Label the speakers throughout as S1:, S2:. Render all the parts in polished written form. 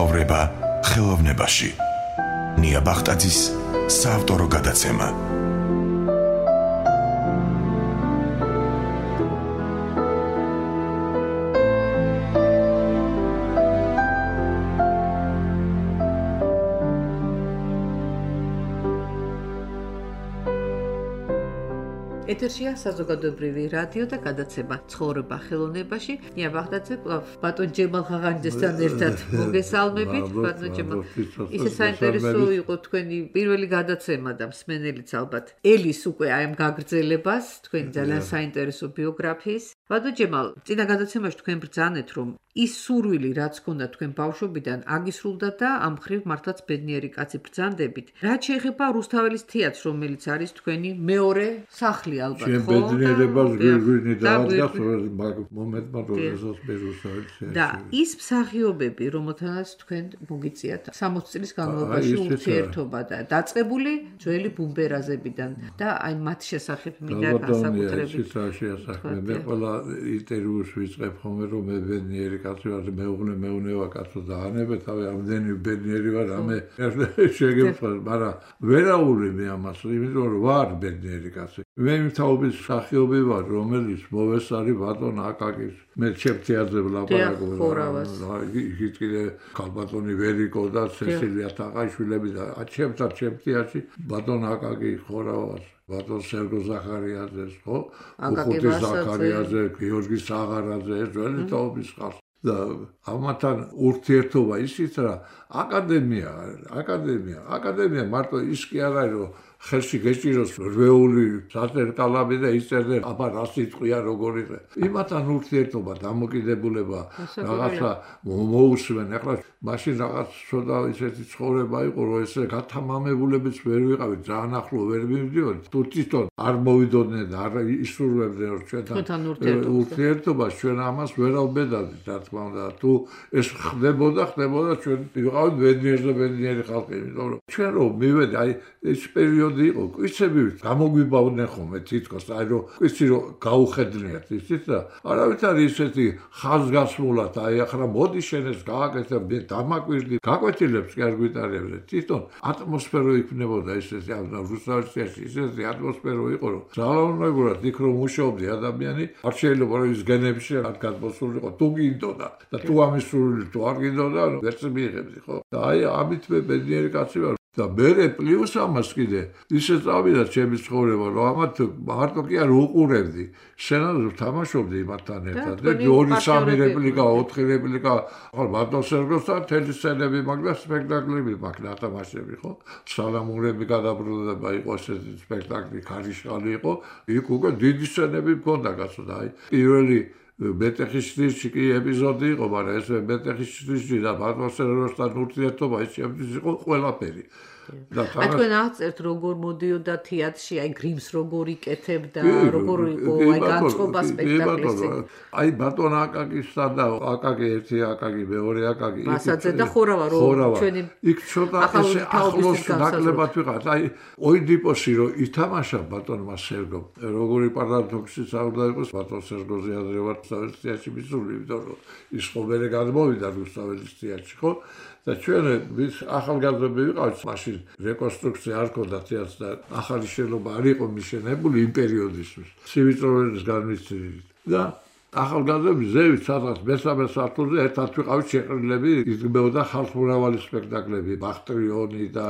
S1: ცხოვრება ხელოვნებაში. ნია ბახტაძის საავტორო გადაცემა.
S2: ეთერშია საზოგადოებრივი რადიო და გადაცემა ცხოვრება ხელოვნებაში. ნია ბახტაძე ბატონ ჯემალ ხაღანიძესთან ერთად მოგესალმებით. ბატონ ჯემალ, ისე საინტერესო იყო თქვენი პირველი გადაცემა და მსმენელიც ალბათ ელის უკვე აი ამ გაგრძელებას, თქვენი ძალიან საინტერესო ბიოგრაფიის. ბატონ ჯემალ, წინა გადაცემაში თქვენ ბრძანეთ, რომ ის სურვილი, რაც ჰქონდა თქვენ ბავშვობიდან, აგისრულდა და ამ მხრივ მართლაც ბედნიერი კაცი ბრძანდებით. რაც შეეხება რუსთაველის თეატრს, რომელიც არის თქვენი მეორე სახლი ალბათ, ხო?
S3: ბედნიერებას გვირგვინი დაადგას მომენტმა როდესაც მე რუსთაველის თეატრში.
S2: და ის მსახიობები, რომელთანაც თქვენ მოგიწიათ 60 წლის განმავლობაში ურთიერთობა და დაწყებული ძველი ბუმბერაზებიდან და აი მათ შესახებ მინდა განსაკუთრებით.
S3: მე ყველა ინტერვიუს ვიწყებ ხოლმე რომ მე ბედნიერი კაცი ვარ, მეუნევა კაცო დაანებე თავი ამდენი ბედნიერი ვარ, ამე შეგემხარ, მაგრამ ვერაული მე ამას, იმიტომ რომ ვარ ბედნიერი კაცი. მე მთავობის მსახიობი ვარ, რომელიც მოვესწარი ბატონ აკაკის. მე ჩემთეაძე ვლაპარაკობ. იქით კიდე ქალბატონი ვერიკო და სესილია თაყაშვილები და ჩემთეატრში ბატონ აკაკი ხორავას. ბატონ სერგო ზახარიაძეს, ხო? უხუთი ზახარიაძე, გიორგი საღარაძე, ეს ძველი თაობის ხალხი. და ამათან ურთიერთობა ისიც რა, აკადემია მარტო ის კი არ არის, რომ ხელში გეჭიროს რვეული საწერკალები და იწერდე, აბა რა სიტყვია როგორი. იმათან ურთიერთობა, დამოკიდებულება, რაღაცა მოусვენ. ახლა მაშინ რაღაც ცოტა ისეთი ცხოვრება იყო, რომ ესე გათამამებულებიც ვერ ვიყავით, ძალიან ახლო ვერ მივდივართ. თუ თვითონ არ მოვიდოდნენ და არ ისურვებდნენ რომ ჩვენთან ურთიერთობა, ჩვენ ამას ვერ ავბედავდით, რა თქმა უნდა. თუ ეს ხდებოდა, ჩვენ ვიყავით ბედნიერი ხალხი, იმიტომ რომ ჩვენ რომ მივედი, აი ეს პერიოდი იყო, კვიცები გამოგვიბავდნენ ხოლმე თითქოს, აი რომ კვიცი რომ გაუხედნიათ ისიც და არავით არის ისეთი ხაზგასმულად, აი ახლა მოდი შენ ეს გააკეთებ, მე დამაკვირდი, გაკვეთილებს კი არ გვიტარებდნენ. თვითონ ატმოსფერო იქნებოდა ესეთი, რუსთაველის ისეთი ატმოსფერო იყო, რომ ძალაუნებურად იქ რომ მუშაობდი ადამიანი, არ შეიძლება რომ ის გენებში არ გადმოსულიყო, თუ გინდოდა და თუ ამის სურვილი თუ არ გინდოდა, ვერც მიიღებდი, ხო? და აი ამით მე ბედნიერი კაცი ვარ. და მე პლუს ამას კიდე ისე წავიდა ჩემი ცხოვრება, რომ ამათ მარტო კი არ უყურებდი, შენად თამაშობდი იმათთან ერთად და 2-3 რეპლიკა, 4 რეპლიკა, ხო, ბატონ სერგოსთან თელი სცენები მაქვს და სპექტაკლები მაქვს ნათამაშები, ხო? სალამურები გადაბრუნდება, იყო ესეთი სპექტაკლი, ქარიშხალი იყო, იქ უკვე დიდი სცენები მქონდა, კაცო და აი პირველი მეტეხის კი ეპიზოდი იყო, მაგრამ ეს მეტეხის და ბატონ სერგოსთან ურთიერთობა ის ჩემთვის იყო ყველაფერი.
S2: აი თქვენ აღწერთ როგორ მოდიოდა თეატრში, აი გრიმს როგორ იკეთებდა, როგორ იყო აი განწყობა სპექტაკლში.
S3: აი ბატონ აკაკისთან და აკაკი ერთი აკაკი, მეორე აკაკი.
S2: მასაძე და ხორავა რომ ჩვენი
S3: იქ ცოტა ესე ახლოს ნაკლებად ვიყავთ. აი ოიდიპოსი რომ ითამაშა ბატონმა სერგომ, როგორი პარადოქსი საუბრდა იყოს ბატონ სერგოზე ადრე ვარ რუსთაველის მისული, იმიტომ რომ ის ხოლმე გადმოვიდა რუსთაველის თეატრში, ხო? და ჩვენ ვის ახალგაზრდები ვიყავით, მაშინ რეკონსტრუქცია არ ქონდა თეატრს და ახალი შენობა არ იყო მიშენებული იმ პერიოდისთვის. სივიწროველის განმისწრებით. და ახალგაზრდები ზევით სადღაც მესამე სართულზე ერთად ვიყავით შეყრილები, იდგმებოდა ხალხმრავალი სპექტაკლები, ბახტრიონი და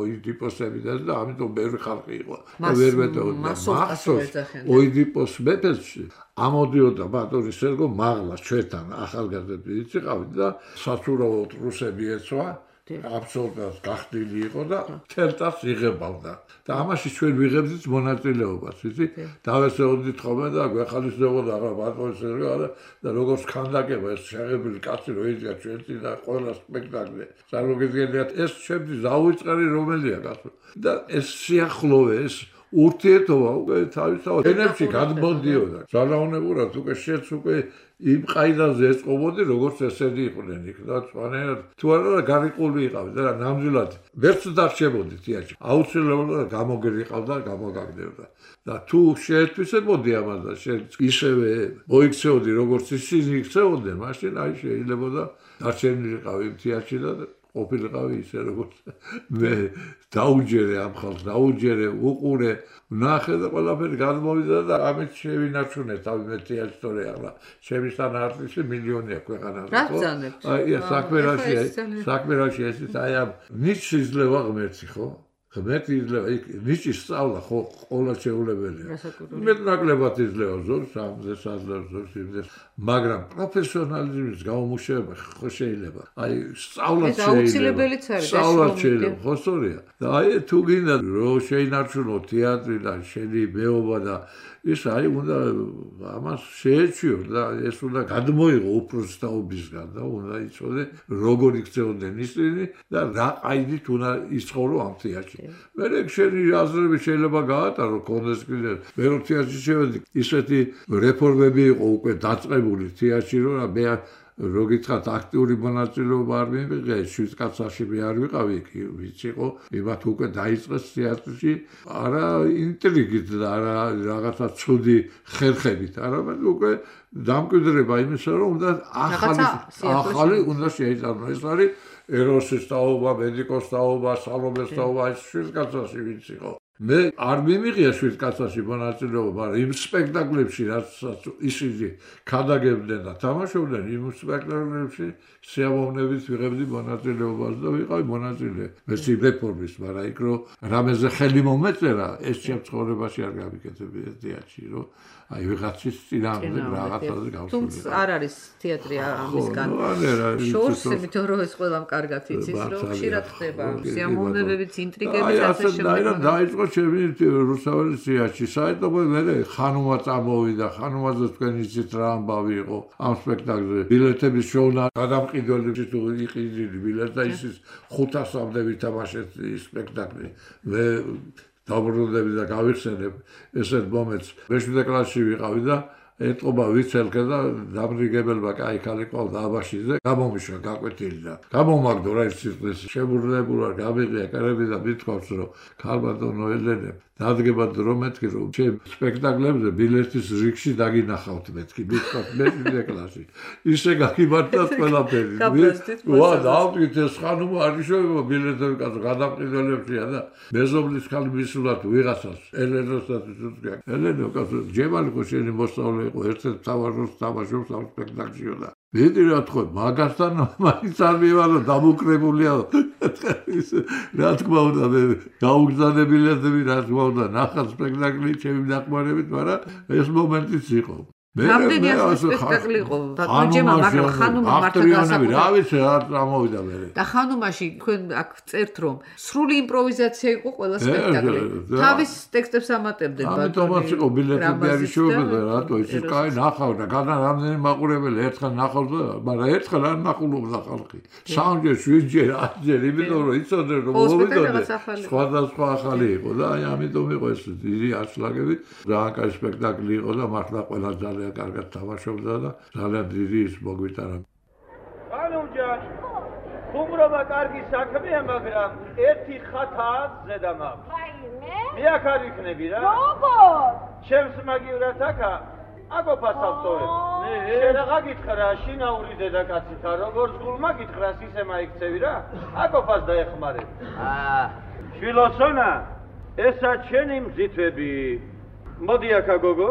S3: ოიდიპოსები და ამიტომ ბევრი ხალხი იყო. ვერ მეტეოდა. მახსოვს ოიდიპოს მეფეს ამოდიოდა ბატონი სერგო მაღლა ჩვენთან ახალგაზრდები ვიყავით და საცურავად რუსები ეცვა, აბსოლუტურად გახდილი იყო და თელტას იღებავდა. და ამაში ჩვენ ვიღებდით მონაწილეობას, იცი? დავესეოდით ხოლმე და გვეხალისდებოდა რა ბატონი სერგო და როგორც ქანდაკება ეს შეღებილი კაცი რო იდგა ჩვენში და ყველა სპექტაკლი. წარმოგიდგენიათ ეს ჩემთვის დაუწყარი რომელია კაცო. და ეს სიახლოვე ეს ურთიერთობა უკვე თავისთავად ენებში გადმოდიოდა. სალაუნებურად უკვე შეც უკვე იმ ყაიდაზე ეწყობოდი, როგორც ესენი იყვნენ იქ და სხვანაირად თუ არა გარიყული იყავი და ნამდვილად ვერც დარჩებოდი თეატრში. აუცილებლად გამოგერიყავდა, გამოგაგდებდა. და თუ შეეთვისებოდი ამას და ისევე მოიქცეოდი, როგორც ისინი იქცეოდნენ, მაშინ აი შეიძლებოდა დარჩენილიყავი იმ თეატრში და ყოფილიყავი ისე როგორც მე დაუჯერე ამ ხალხს, დაუჯერე, უყურე, ვნახე და ყველაფერი გადმოვიდა და ამით შევინარჩუნე თავი მე თეატრში ახლა შემისთან არტისტი მილიონია ქვეყანაზე.
S2: რა ბრძანებთ?
S3: აი საქმე რაში ეს აი ამ ნიჩი იძლევა ღმერთი ხო? ღმერთი იძლევა ნიჩი სწავლა ხო ყველა შეულებელია. მეტნაკლებად იძლევა ზოგს ამდეს აძლევს ზოგს იმდეს, მაგრამ პროფესიონალიზმის გამომუშავება ხო შეიძლება. აი სწავლაც შეიძლება. სწავლაც შეიძლება, ხო სწორია. და აი თუ გინდა რომ შეინარჩუნო თეატრი და შენი მეობა და ის აი უნდა ამას შეეჩიო და ეს უნდა გადმოიღო უბრალოდ და უნდა იცოდე როგორ იქცეოდნენ ისინი და რა ყაიდით უნდა იცხოვრო ამ თეატრში. მე შენი აზრები შეიძლება გაატარო კონდეს კიდე მე რო თეატრში შევედი ისეთი რეფორმები იყო უკვე დაწყებული თეატრში რომ მე რო გითხრათ აქტიური მონაწილეობა არ მივიღე 7 კაცაში მე არ ვიყავი იქ ვიც იყო იმათ უკვე დაიწყეს თეატრში არა ინტრიგით და არა რაღაცა ცუდი ხერხებით არამედ უკვე დამკვიდრება იმისა რომ უნდა ახალი უნდა შეიწყოს ეს არის ეროსის თაობა, მედიკოს თაობა, სალომეს თაობა ეს 7 კაცაში ვიც იყო მე არ მიმიღია 7 კაცაში მონაწილეობა, მაგრამ იმ სპექტაკლებში რაც ისინი ქადაგებდნენ და თამაშობდნენ, იმ სპექტაკლებში შეამოვნებით ვიღებდი მონაწილეობას და ვიყავი მონაწილე. მეც რეფორმის, მაგრამ იქ რომ რამეზე ხელი მომეწერა, ეს შემცხოვრებაში არ გავიკეთებია თეატრში, რომ აი ვიღაცის წინააღმდეგ რაღაცაზე გავსულიყო.
S2: თუმცა არ არის თეატრი ამისგან. შორს იმიტომ რომ ეს ყველამ კარგად იცის, რომ ხშირად ხდება სიამოვნებებიც, ინტრიგებიც ასე შემდეგ.
S3: დაიწყო ჩემი რუსთაველის თეატრში. საერთოდ მე ხანუმა წამოვიდა, ხანუმაზე თქვენ იცით რა ამბავი იყო ამ სპექტაკლზე. ბილეთების შოვნა გადამყიდველებში თუ იყიდი ბილეთ და ის 500-მდე ვითამაშეთ სპექტაკლი. მე დაბრუნდები და გავიხსენებ ესეთ მომენტს. მე-7 კლასში ვიყავი და ეტყობა ვიცელკე და დამრიგებელმა კაი ქალი ყავდა აბაშიძე, გამომიშვა გაკვეთილი და გამომაგდო რა ის სიტყვის შემურლებულა გამიღია კარები და მithქვავს რომ ქალბატონო ელენე დადგება დრო მეთქი რომ ჩემ სპექტაკლებზე ბილეთის რიგში დაგინახავთ მეთქი მithქვათ მე-7 კლასში ისე გაგიმართათ ყველაფერი ვა დავკით ეს ხანუმა არ იშოვება ბილეთები კაცო გადამყიდველებშია და მეზობლის ქალი მისულად ვიღაცას ელენოსაც უწუდგა ელენო კაცო ჯემალი ხო შენი მოსწავლე იყო ერთ-ერთ თავაროს თამაშობს ამ სპექტაკლშიო და ვიდი რა თქო მაგასთან მაინც არ მივარო დამოკრებულია რა თქმა უნდა მე გაუგზავნებილებები რა თქმა უნდა ნახა სპექტაკლი ჩემი დახმარებით მაგრამ ეს მომენტიც იყო
S2: რამდენი სპექტაკლი იყო ბატონჯემა მაგრამ ხანუმა მართლა გასაკუთრებით
S3: რა ვიცი რა წამოვიდა მე
S2: და ხანუმაში თქვენ აქ წერთ რომ სრული იმპროვიზაცია იყო ყველა სპექტაკლი თავის ტექსტებს ამატებდნენ
S3: ბატონი ამიტომაც იყო ბილეთები არ იშოვებდა რატო ისე კაი ნახავ და გადა რამდენი მაყურებელი ერთხელ ნახავდა მაგრამ ერთხელ არ ნახულობდა ხალხი სამჯერ 7ჯერ 8ჯერ იმიტომ რომ იცოდნენ რომ მოვიდოდე სხვადასხვა ახალი იყო და აი ამიტომ იყო ეს დიდი აშლაგები რა კაი სპექტაკლი იყო და მართლა ყველა ძალიან კარგად თამაშობდა და ძალიან დიდი ის მოგვიტარა.
S4: ხანუმჯან, ხუმრობა კარგი საქმეა, მაგრამ ერთი ხათაა ზედა მაქვს.
S5: რაიმე?
S4: მე აქ არ ვიქნები რა.
S5: როგორ?
S4: ჩემს მაგივრად აქა აკოფას ავტორებს. შენ რა გითხრა, შინაური დედაკაცითა, როგორც გულმა გითხრას ისე მაიქცევი რა. აკოფას დაეხმარებ. შვილოსონა, ესა ჩემი მზითვები. მოდი აქა გოგო.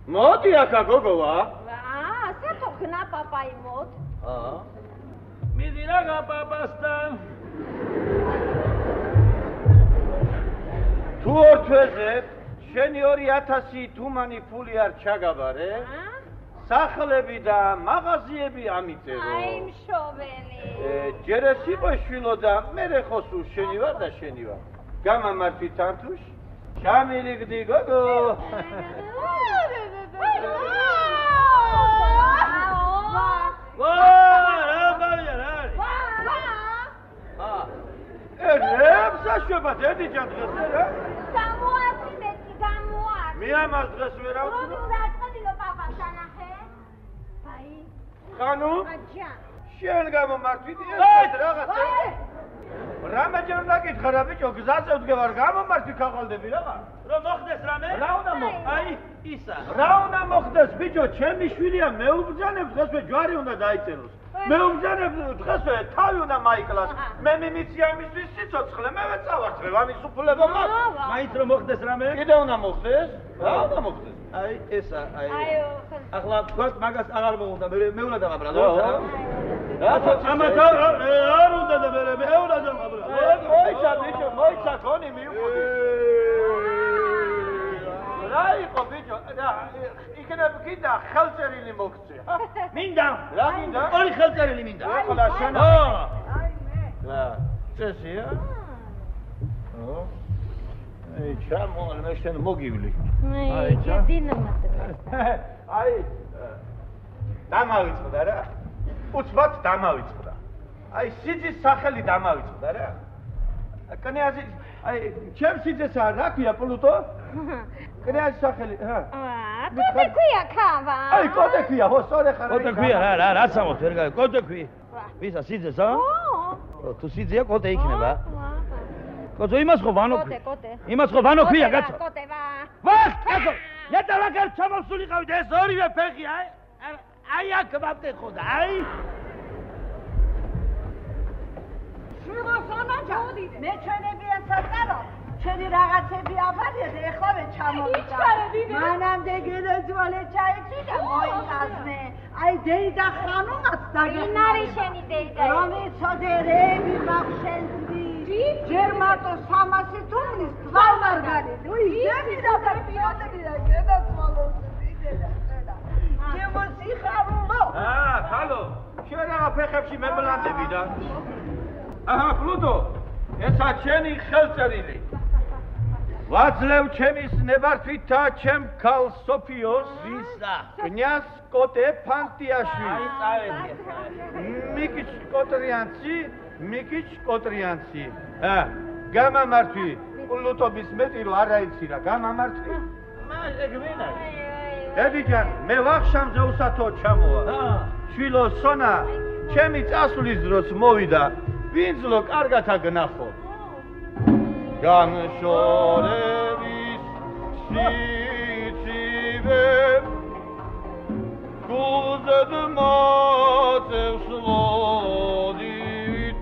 S4: მოდი აქა გოგოვა.
S5: სათო ხნა პაპაი მოდ.
S4: მიდი რა პაპასთან. თუ ორ თვეზე შენი 2000 თუმანი ფული არ ჩაგაბარე? სახლები და მაღაზიები ამიწერო.
S5: აი მშოველი.
S4: ჯერ ეს იყო შვილო და მე ხო სულ შენი ვარ და შენი ვარ. გამამართვი თართუშ? შამილიგდი გოგო.
S5: სამოა
S4: ხანუ?
S5: აჯან.
S4: შენ გამომართვით ეს რაღაცა. რამეჯერ უნდა გითხრა რა ბიჭო, გზაზე ვდგევარ, გამომართვი ქაღალდები რა.
S6: რომ მოხდეს რამე?
S4: რა უნდა მოხდეს?
S6: აი, ისა.
S4: რა უნდა მოხდეს ბიჭო, ჩემი შვილია მეუბრძანებს დღესვე ჯვარი უნდა დაიწეროს. მეუბრძანებს დღესვე თავი უნდა მაიკლას. მე მიმიცია იმისთვის სიცოცხლე, მე ვეწავარცხებ ამის უფლება მაქვს.
S6: მაინც რომ მოხდეს რამე?
S4: კიდე უნდა მოხდეს? რა უნდა მოხდეს?
S6: აი, ესა, აი.
S5: აიო.
S6: ახლა თქვათ მაგას აღარ მოუნდა, მე უნდა დავაბრალო.
S4: ამათ არ უნდა და მე უნდა დავაბრალო. მოიცა ბიჭო, მოიცა ქონი მიუხვდი. რა იყო ბიჭო? იქნებ კიდე ხელწერილი მოგწე.
S6: მინდა.
S4: რა მინდა?
S6: ორი ხელწერილი მინდა.
S4: ახლა შენ.
S6: ხო.
S4: რა, წესია? ხო. აი, ჩამოვალ, მე შენ მოგივლი.
S5: აი, დინამატი.
S4: აი, დამავიწყდა რა. უცბად დამავიწყდა. აი, სიძის სახელი დამავიწყდა რა. კნიაზი, აი, ჩემ სიძესა რა ქვია პლუტო? კნიაზის სახელი, რა.
S5: კოდე ქვია ქავა.
S4: აი, კოდე ქვია, ხო, სწორე ხარ.
S6: კოდე ქვია რა სამოთ ვერ გაი. კოდე ქვია. ვისა სიძეს, ა?
S5: ო.
S6: თუ სიძეა კოდე იქნება. კოდე იმას ხო ვანო ქვია.
S5: კოდე.
S6: იმას ხო ვანო ქვია, კაცო.
S5: კოდე ვა.
S6: ვას, კაცო. ნეტა ვაგარ ჩამოსულიყავით ეს ორივე ფეხი, აი აქ ვაფტეხო და აი.
S7: შევასანა მე ჩვენებია საწყარო ჩვენი რაღაცები აბადია და ეხლავე ჩამოვიდა მანამდე გელეძვალე ჩაიცი და მოიწასნე აი დეიდა ხანუმაც
S5: ვინ არის შენი დეიდა?
S7: რომ იცოდერები მახშენდი ჯერ მარტო 300 თუმნის თვალმარგალით უი და პიოტები და გადაცვალოს დიდედა შემოსიხარულო
S4: ხალო შენ რა ფეხებში მებლანდები და აჰა პლუტო ესა ჩემი ხელწერილი ვაძლევ ჩემის ნებართვითა ჩემ ქალ სოფიოს
S6: ვისა
S4: კნიაზ კოტე ფანტიაშვილი
S6: აი წავედი
S4: მიკიჩ კოტრიანცი გამამართვი პლუტობის მეტი რო არ აიცი რა გამამართვი
S6: მაგ ვინა
S4: დედიჯან მე ვახშამზე უსათო ჩამოვა შვილო სონა ჩემი წასვლის დროს მოვიდა ვინძლო კარგად აგნახო განშორების სიცივე გულზედ მოწევს ლოდით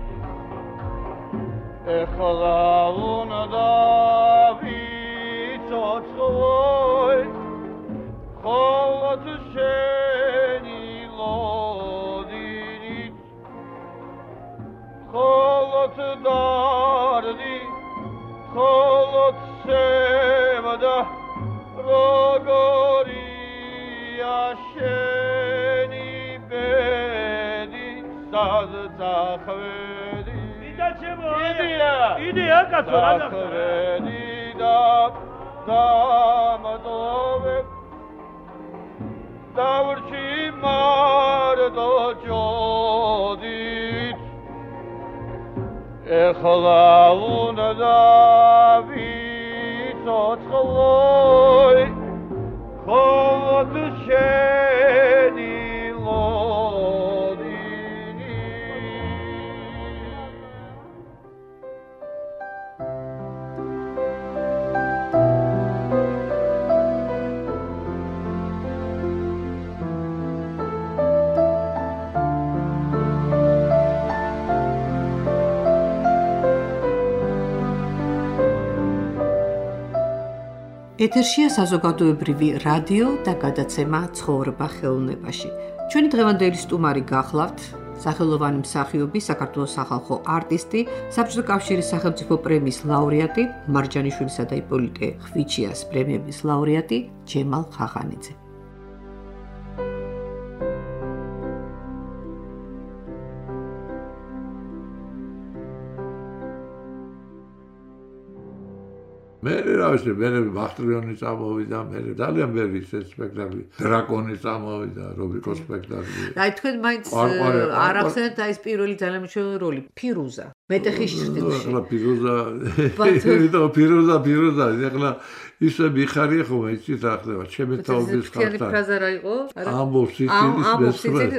S4: ეხლა უნდა ვიცოცხლოი ხოლოდ შენი ლოდინით ხოლოდ დარდი ხოლოდ სევდა როგორია შენი ბედი სად წახვედი
S6: იდეა კაცო რა
S4: წახვედი და დამატოვე დავრჩი მარტო ჯოდით ეხლა უნდა ვიცოცხლოი ხოლოდ შენი ლოდინი
S2: ეთერშია საზოგადოებრივი რადიო და გადაცემა ცხოვრება ხელოვნებაში. ჩვენი დღევანდელი სტუმარი გახლავთ სახელოვანი მსახიობი, საქართველოს სახალხო არტისტი, საბჭოთა კავშირის სახელმწიფო პრემიის ლაურეატი, მარჯანიშვილისა და იპოლიტე ხვიჩიას პრემიების ლაურეატი ჯემალ ხახანიძე.
S3: მე რა ვიცი, მე ბახტრიონი წამოვიდა, მე ძალიან ბევრი სპექტაკლი, დრაკონი წამოვიდა, რობიკოს სპექტაკლი.
S2: აი თქვენ მაინც არ ახსენეთ აი ეს პირველი ძალიან მნიშვნელოვანი როლი, ფირუზა. მეტეხის ჭრილში.
S3: ახლა ფირუზა, ახლა ისე მიხარია ხომ იცით რა ხდება, ჩემი თაობის ხართან.
S2: თქვენი ფრაზა რა იყო?
S3: ამბობს სიცილი,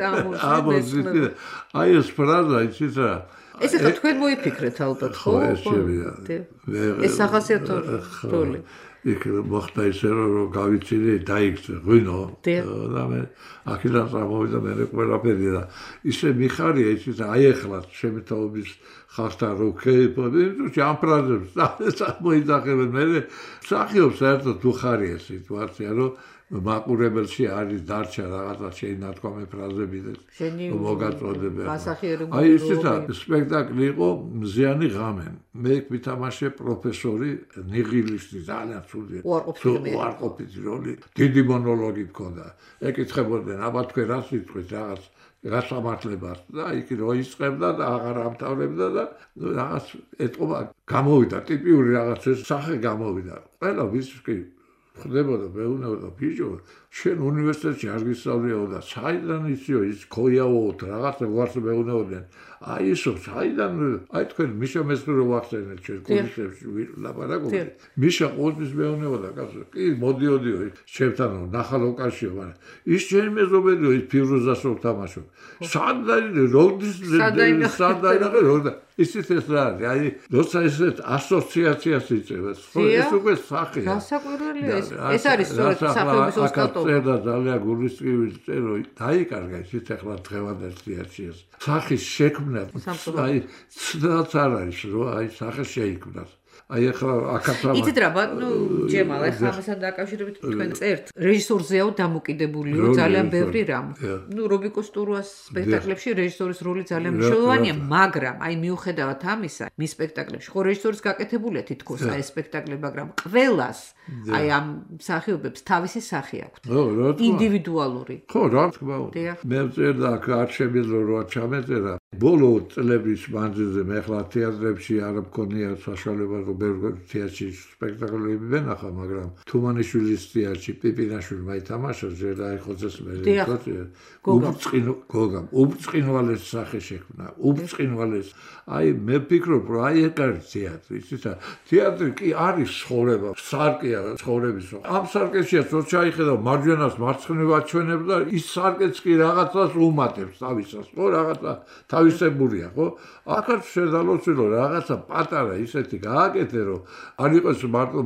S3: აი ეს ფრაზა იცით რა.
S2: ეს ახლა თქვენ მოიფიქრეთ ალბათ, ხო?
S3: ეს შემია.
S2: ეს სახასიათო როლი.
S3: იქ მოხდა ისე რომ გავიცინე დაიქცე ღვინო და მე აქედან წამოვიდა მე ყველაფერი და ისე მიხარია იცით აი ახლა ჩემი თაობის ხალხთან რო ქეიფობდი ამ ფრაზებს მოიძახებენ მე სახიობს საერთოდ უხარია სიტუაცია რომ მაყურებელში არის დარჩა რაღაცა შეინათქვამი ფრაზები და მოგაწოდებენ. აი ესეთა სპექტაკლი იყო მზიანი ღამე. მე ვითამაშე პროფესორი ნიღილისტი ძალიან ცუდი. უარყოფითი როლი. დიდი მონოლოგი მქონდა. ეკითხებოდნენ, აბა თქვენ რა სიტყვით რაღაც გასამართლებას და იქ რო იწყებდა და აღარ ამთავრებდა და რაღაც ეტყობა გამოვიდა ტიპიური რაღაც სახე გამოვიდა. ყველა ვისკი ხდებოდა მეუბნებოდა ბიჭო შენ უნივერსიტეტში არ გისწავლეო და საიდან იციო ის ქოიაოთ რაღაცა ვარს მეუბნებოდნენ აი ისო საიდან აი თქვენ მიშა მესხრო ვახსენეთ ჩვენ კურსებში ლაპარაკობთ მიშა ყოველთვის მეუბნებოდა კაცო კი მოდიოდიო ჩემთან ნახალოკაშიო მაგრამ ის ჩემი მეზობელია ის ფირუზას რო თამაშობ სადაი როდის სადაი ისიც ეს რა არის აი როცა ესეთ ასოციაციას იწევს ხო ეს უკვე სახეა
S2: გასაკვირველია ეს არის სწორედ სახეობის ოსტატობა
S3: და ძალიან გულისწყივი წერო დაიკარგა ისიც ახლა დღევანდელ სიარჩიეს სახის შექმნა აი ცდაც არ არის რომ აი სახე შეიქმნას აი ახლა აკაცამა
S2: იცით რა ბატონო ჯემალ ახლა ამასთან დაკავშირებით თქვენ წერთ რეჟისორზეაო დამოკიდებულიო ძალიან ბევრი რამ ნუ რობიკოს ტურუას სპექტაკლებში რეჟისორის როლი ძალიან მნიშვნელოვანია მაგრამ აი მიუხედავად ამისა მის სპექტაკლებში ხო რეჟისორის გაკეთებულია თითქოს აი სპექტაკლი მაგრამ ყველას აი ამ მსახიობებს თავისი სახე აქვთ ინდივიდუალური
S3: ხო რა თქმა უნდა მე წერდა აქ არ შემიძლია რომ ჩამეწერა ბოლო წლების მანძილზე მე ახლა თეატრებში არ მქონია საშუალება რომ თეატრში სპექტაკლები ვენახა მაგრამ თუმანიშვილის თეატრში პიპინაშვილმა ითამაშა ჯერ ხოცეს მე უბწყინვალეს სახე შექმნა უბწყინვალეს აი მე ვფიქრობ რომ აი ეგ არის თეატრი იცით თეატრი კი არის ცხოვრება სარკეა ცხოვრების ამ სარკეშია რო ჩაიხედა მარჯვენას მარცხნივ აჩვენებს და ის სარკეც კი რაღაცას უმატებს თავისას ხო რაღაცა თავისებურია ხო აქაც შედალოცილო რაღაცა პატარა ისეთი გააკეთე რომ არ იყოს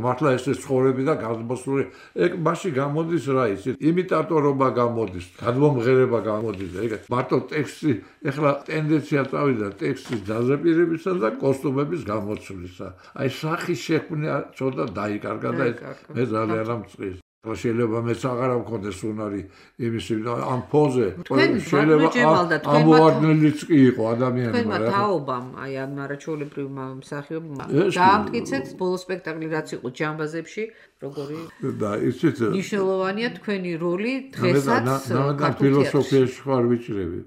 S3: მართლა ეს ცხოვრები და გამოსული ეგ მასში გამოდის რა იცით იმიტატორობა გამოდის გადმომღერება გამოდის ეგ მარტო ტექსტი ეხლა ტენდენცია წავიდა ტექსტის დაზაპირებისა და კოსტუმების გამოცვლისა აი სახის შექმნა ცოტა დაიკარგა და მე ძალიან ამწყის შეიძლება მეც აღარ მქონდეს უნარი იმის ამ ფოზე შეიძლება ამოვარდნილიც კი იყო ადამიანმა
S2: თქვენმა თაობამ აი ამ არაჩვეულებრივმა მსახიობმა დაამტკიცეთ ბოლო სპექტაკლი რაც იყო ჯამბაზებში როგორი
S3: და იცით
S2: მნიშვნელოვანია თქვენი როლი დღესაც
S3: ფილოსოფიაში ხარ ვიჭრები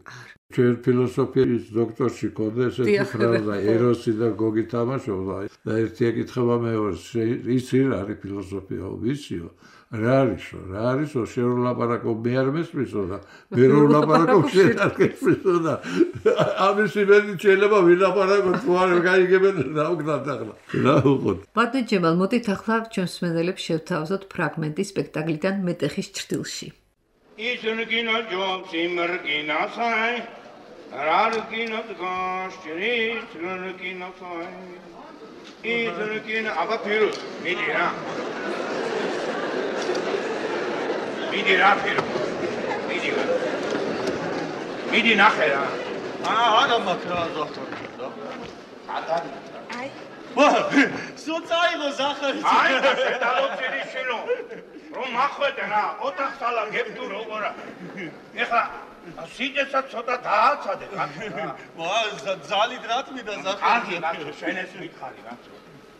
S3: ჩვენ ფილოსოფიის დოქტორში ყოდა ესეთი ფრაზა ეროსი და გოგი თამაშობდა და ერთი ეკითხება მეორეს იცი რა არის ფილოსოფია ვიციო რა არისო შენ ლაპარაკობ მე არ მესმისო და მე რო ლაპარაკობ შენ არ გესმისო და ამის იმედი შეიძლება ვილაპარაკო თუ არ გაიგებენ რა ვქნათ ახლა რა უყოთ
S2: ბატონო ჯემალ მოდით ახლა ჩვენს მსმენელებს შევთავაზოთ ფრაგმენტი სპექტაკლიდან მეტეხის ჭრილში
S6: ისრგინა ჯობს იმრგინასაი რარგინა გაშრი ისრგინასაი ისრგინა აბა ფირო მიდი რა მიდი რა ფირო მიდი ნახე რა არა მაქრა დოქტორი ადარი აი სოციალო ზახარი აი შედალოცილი შილო რომ მახვედე რა ოთახს ალა გებდუ როგორა ეხლა სიძესაც ცოტა დააცადე კაცო რა ვა ზალით რა თმიდა ზახარი კარგი კაცო შენ ეს მითხარი რა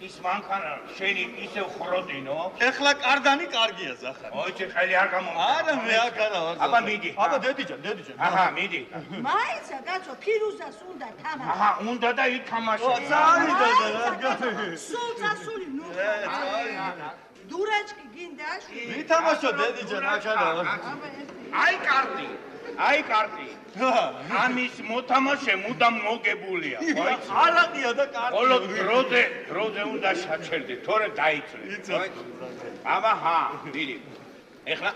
S6: ის მანქანა შენი ისევ ხროდინო?
S4: ეხლა კარდანი კარგია ზახარი.
S6: მოიცი ხელი არ გამომდა.
S4: არა მე აქ არა ვარ.
S6: აბა მიდი.
S4: აბა დედიჯან.
S6: აჰა, მიდი.
S7: მაიცა კაცო ფირუზას უნდა თამაში.
S6: აჰა, უნდა და ითამაშო.
S4: წავი დედა რა.
S7: სულ წასული ნუ. დურაჭკი გინდა?
S4: ვითამაშო დედიჯან აქ არა ვარ.
S6: აი კარტი. ამის მოთამაშე მუდამ მოგებულია, მოიცი?
S4: არაყია და კარტი.
S6: ხოლო დროზე უნდა შაჩერდე, თორე დაიწვე. აბა, მიდი. ეხლა,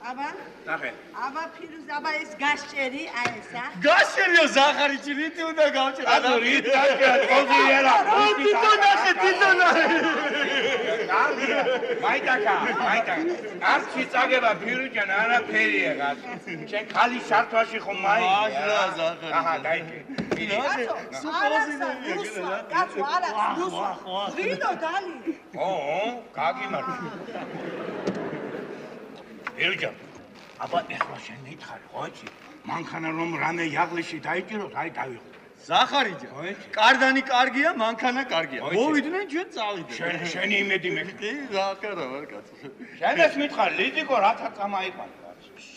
S7: აბა?
S6: ნახე.
S7: აბა ფირუზ, აბა ეს გასჭერი, აი ესა.
S4: გაშერიო ზახარიჩი, რითი უნდა გავჭერა?
S6: აბა, რით გაშერა, ხოზიერა.
S4: თვითონ
S6: მაიტაკა. არცი წაგება ფირუჯან არაფერია გას. შენ ხალი შართვაში ხომ მაი?
S4: ზახარი.
S6: აჰა, დაიჭე. მიდი.
S7: კაცო, არა, რუსვა. ვიდო დალი.
S6: გაგიმართ. ფირუჯან. აბა, ეხლა შენ მითხარი, ხოიცი? მანქანა რომ რამე იაღლიში დაიჭიროთ, აი დავიღო.
S4: ზახარიჯა. კარდანი კარგია, მანქანა კარგია. მოვიდნენ ჩვენ წავიდეთ.
S6: შენი იმედი მე.
S4: კი, ზახარა ვარ კაცო.
S6: შენეს მითხარ, ლიდიკო რათა წამაიყვანე.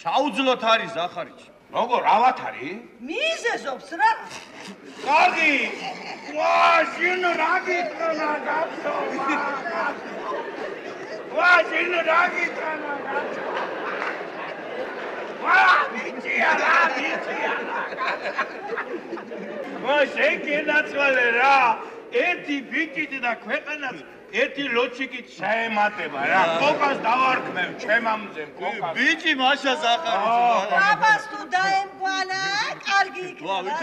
S4: შაუძლოთ არის ზახარიჯი.
S6: როგორ ავათ არის?
S7: მიზეზობს რა.
S6: კარგი. შენ რა გიტრანა გახსო. შენ რა გიტრანა გახსო. მიცია. შენ გენაცვალე რა. ერთი ბიჭით და ქვეყანას ერთი ლოჩიკით შეემატება რა. კოკას დავარქმევ ჩემამზე კოკას.
S4: ბიჭი მაშა ზახარიჯი.
S7: აბას თუ დაემგვანა, კარგი იქნება.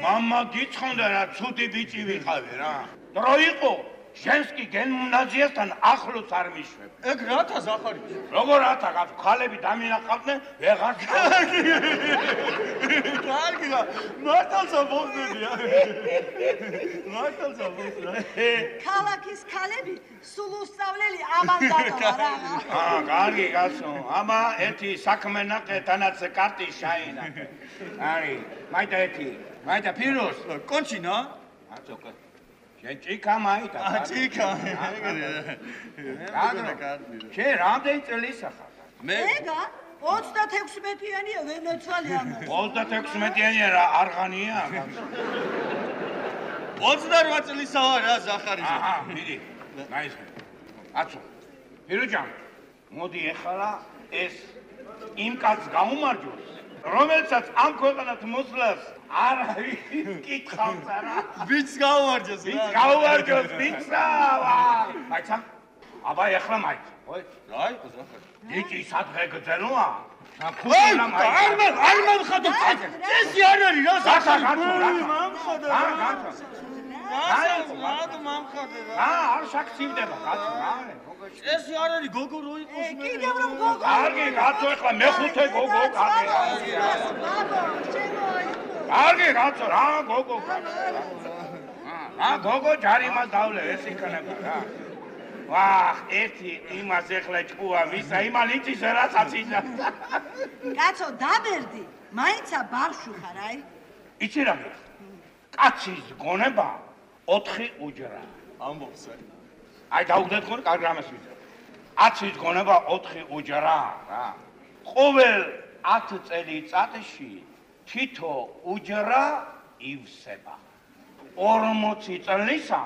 S6: მამა გიცხონდა რა, ცუდი ბიჭი ვიყავი რა. დრო იყო. ჟენსკი გიმნაზიასთან ახლოს არ მიშვებ.
S4: ეგ რათა ზახარიჯი?
S6: როგორ რათა, ხალები დამინახავდნენ, ვეღარ
S4: კარგი რა, მართალსა მოხდენია. მართალსა მოხდა.
S7: ქალაქის ქალები სულ უსწავლელი ამან დატოვა რა.
S6: კარგი გასო. აბა ერთი საქმე ნახე, თანაც კარტი შაინახე. არი, მაიტა ფირუს.
S4: კონჩინა?
S6: აცოკა. შენ ჭიქა მაიტა.
S4: ჭიქა, ეგრე.
S6: შენ რამდენი წელისა ხარ?
S4: მე
S7: ეგა 36-იანია ვენეცვალე ამას.
S6: 36-იანია რა არღანია?
S4: 28 წლისა ვარ რა ზახარიჯი.
S6: მიდი. ნაისხე. აცო. ფირუჯან, მოდი ეხლა ეს იმ კაცს გაუმარჯოს, რომელსაც ამ ქვეყანას მოსვლას არავის კითხავს არა.
S4: ბიჭს გაუმარჯოს.
S6: ბიჭსა. მაიცა. აბა ეხლა მაიცა.
S4: აი, ზახარი.
S6: ბიჭი სადღე გძელოა?
S4: არ მომხადო. წესი არ არის რა ზახარი.
S6: მომხადო. არ შაქცივდება კაცო რა.
S4: წესი არ არის გოგო რო იყოს მე.
S7: კიდევ რომ გოგო.
S6: კარგი კაცო ეხლა მეხუთე გოგო კარგი. კარგი კაცო რა გოგო. გოგო ჯარიმას დავლე ეს იქნება რა. ვახ, ერთი იმას ეხლა ჭკუა ვისა, იმან იცის რასაც ისა.
S7: კაცო, დაბერდი, მაინცა ბავშვი ხარ, აი.
S6: იცი რა გიხ? კაცის გონება 4 უჯრა.
S4: ამბობს.
S6: აი დაუგდეთ ხოლმე კარგი რამეს ვიძებ. კაცის გონება 4 უჯრა რა. ყოველ 10 წელიწადში თითო უჯრა ივსება. 40 წლისა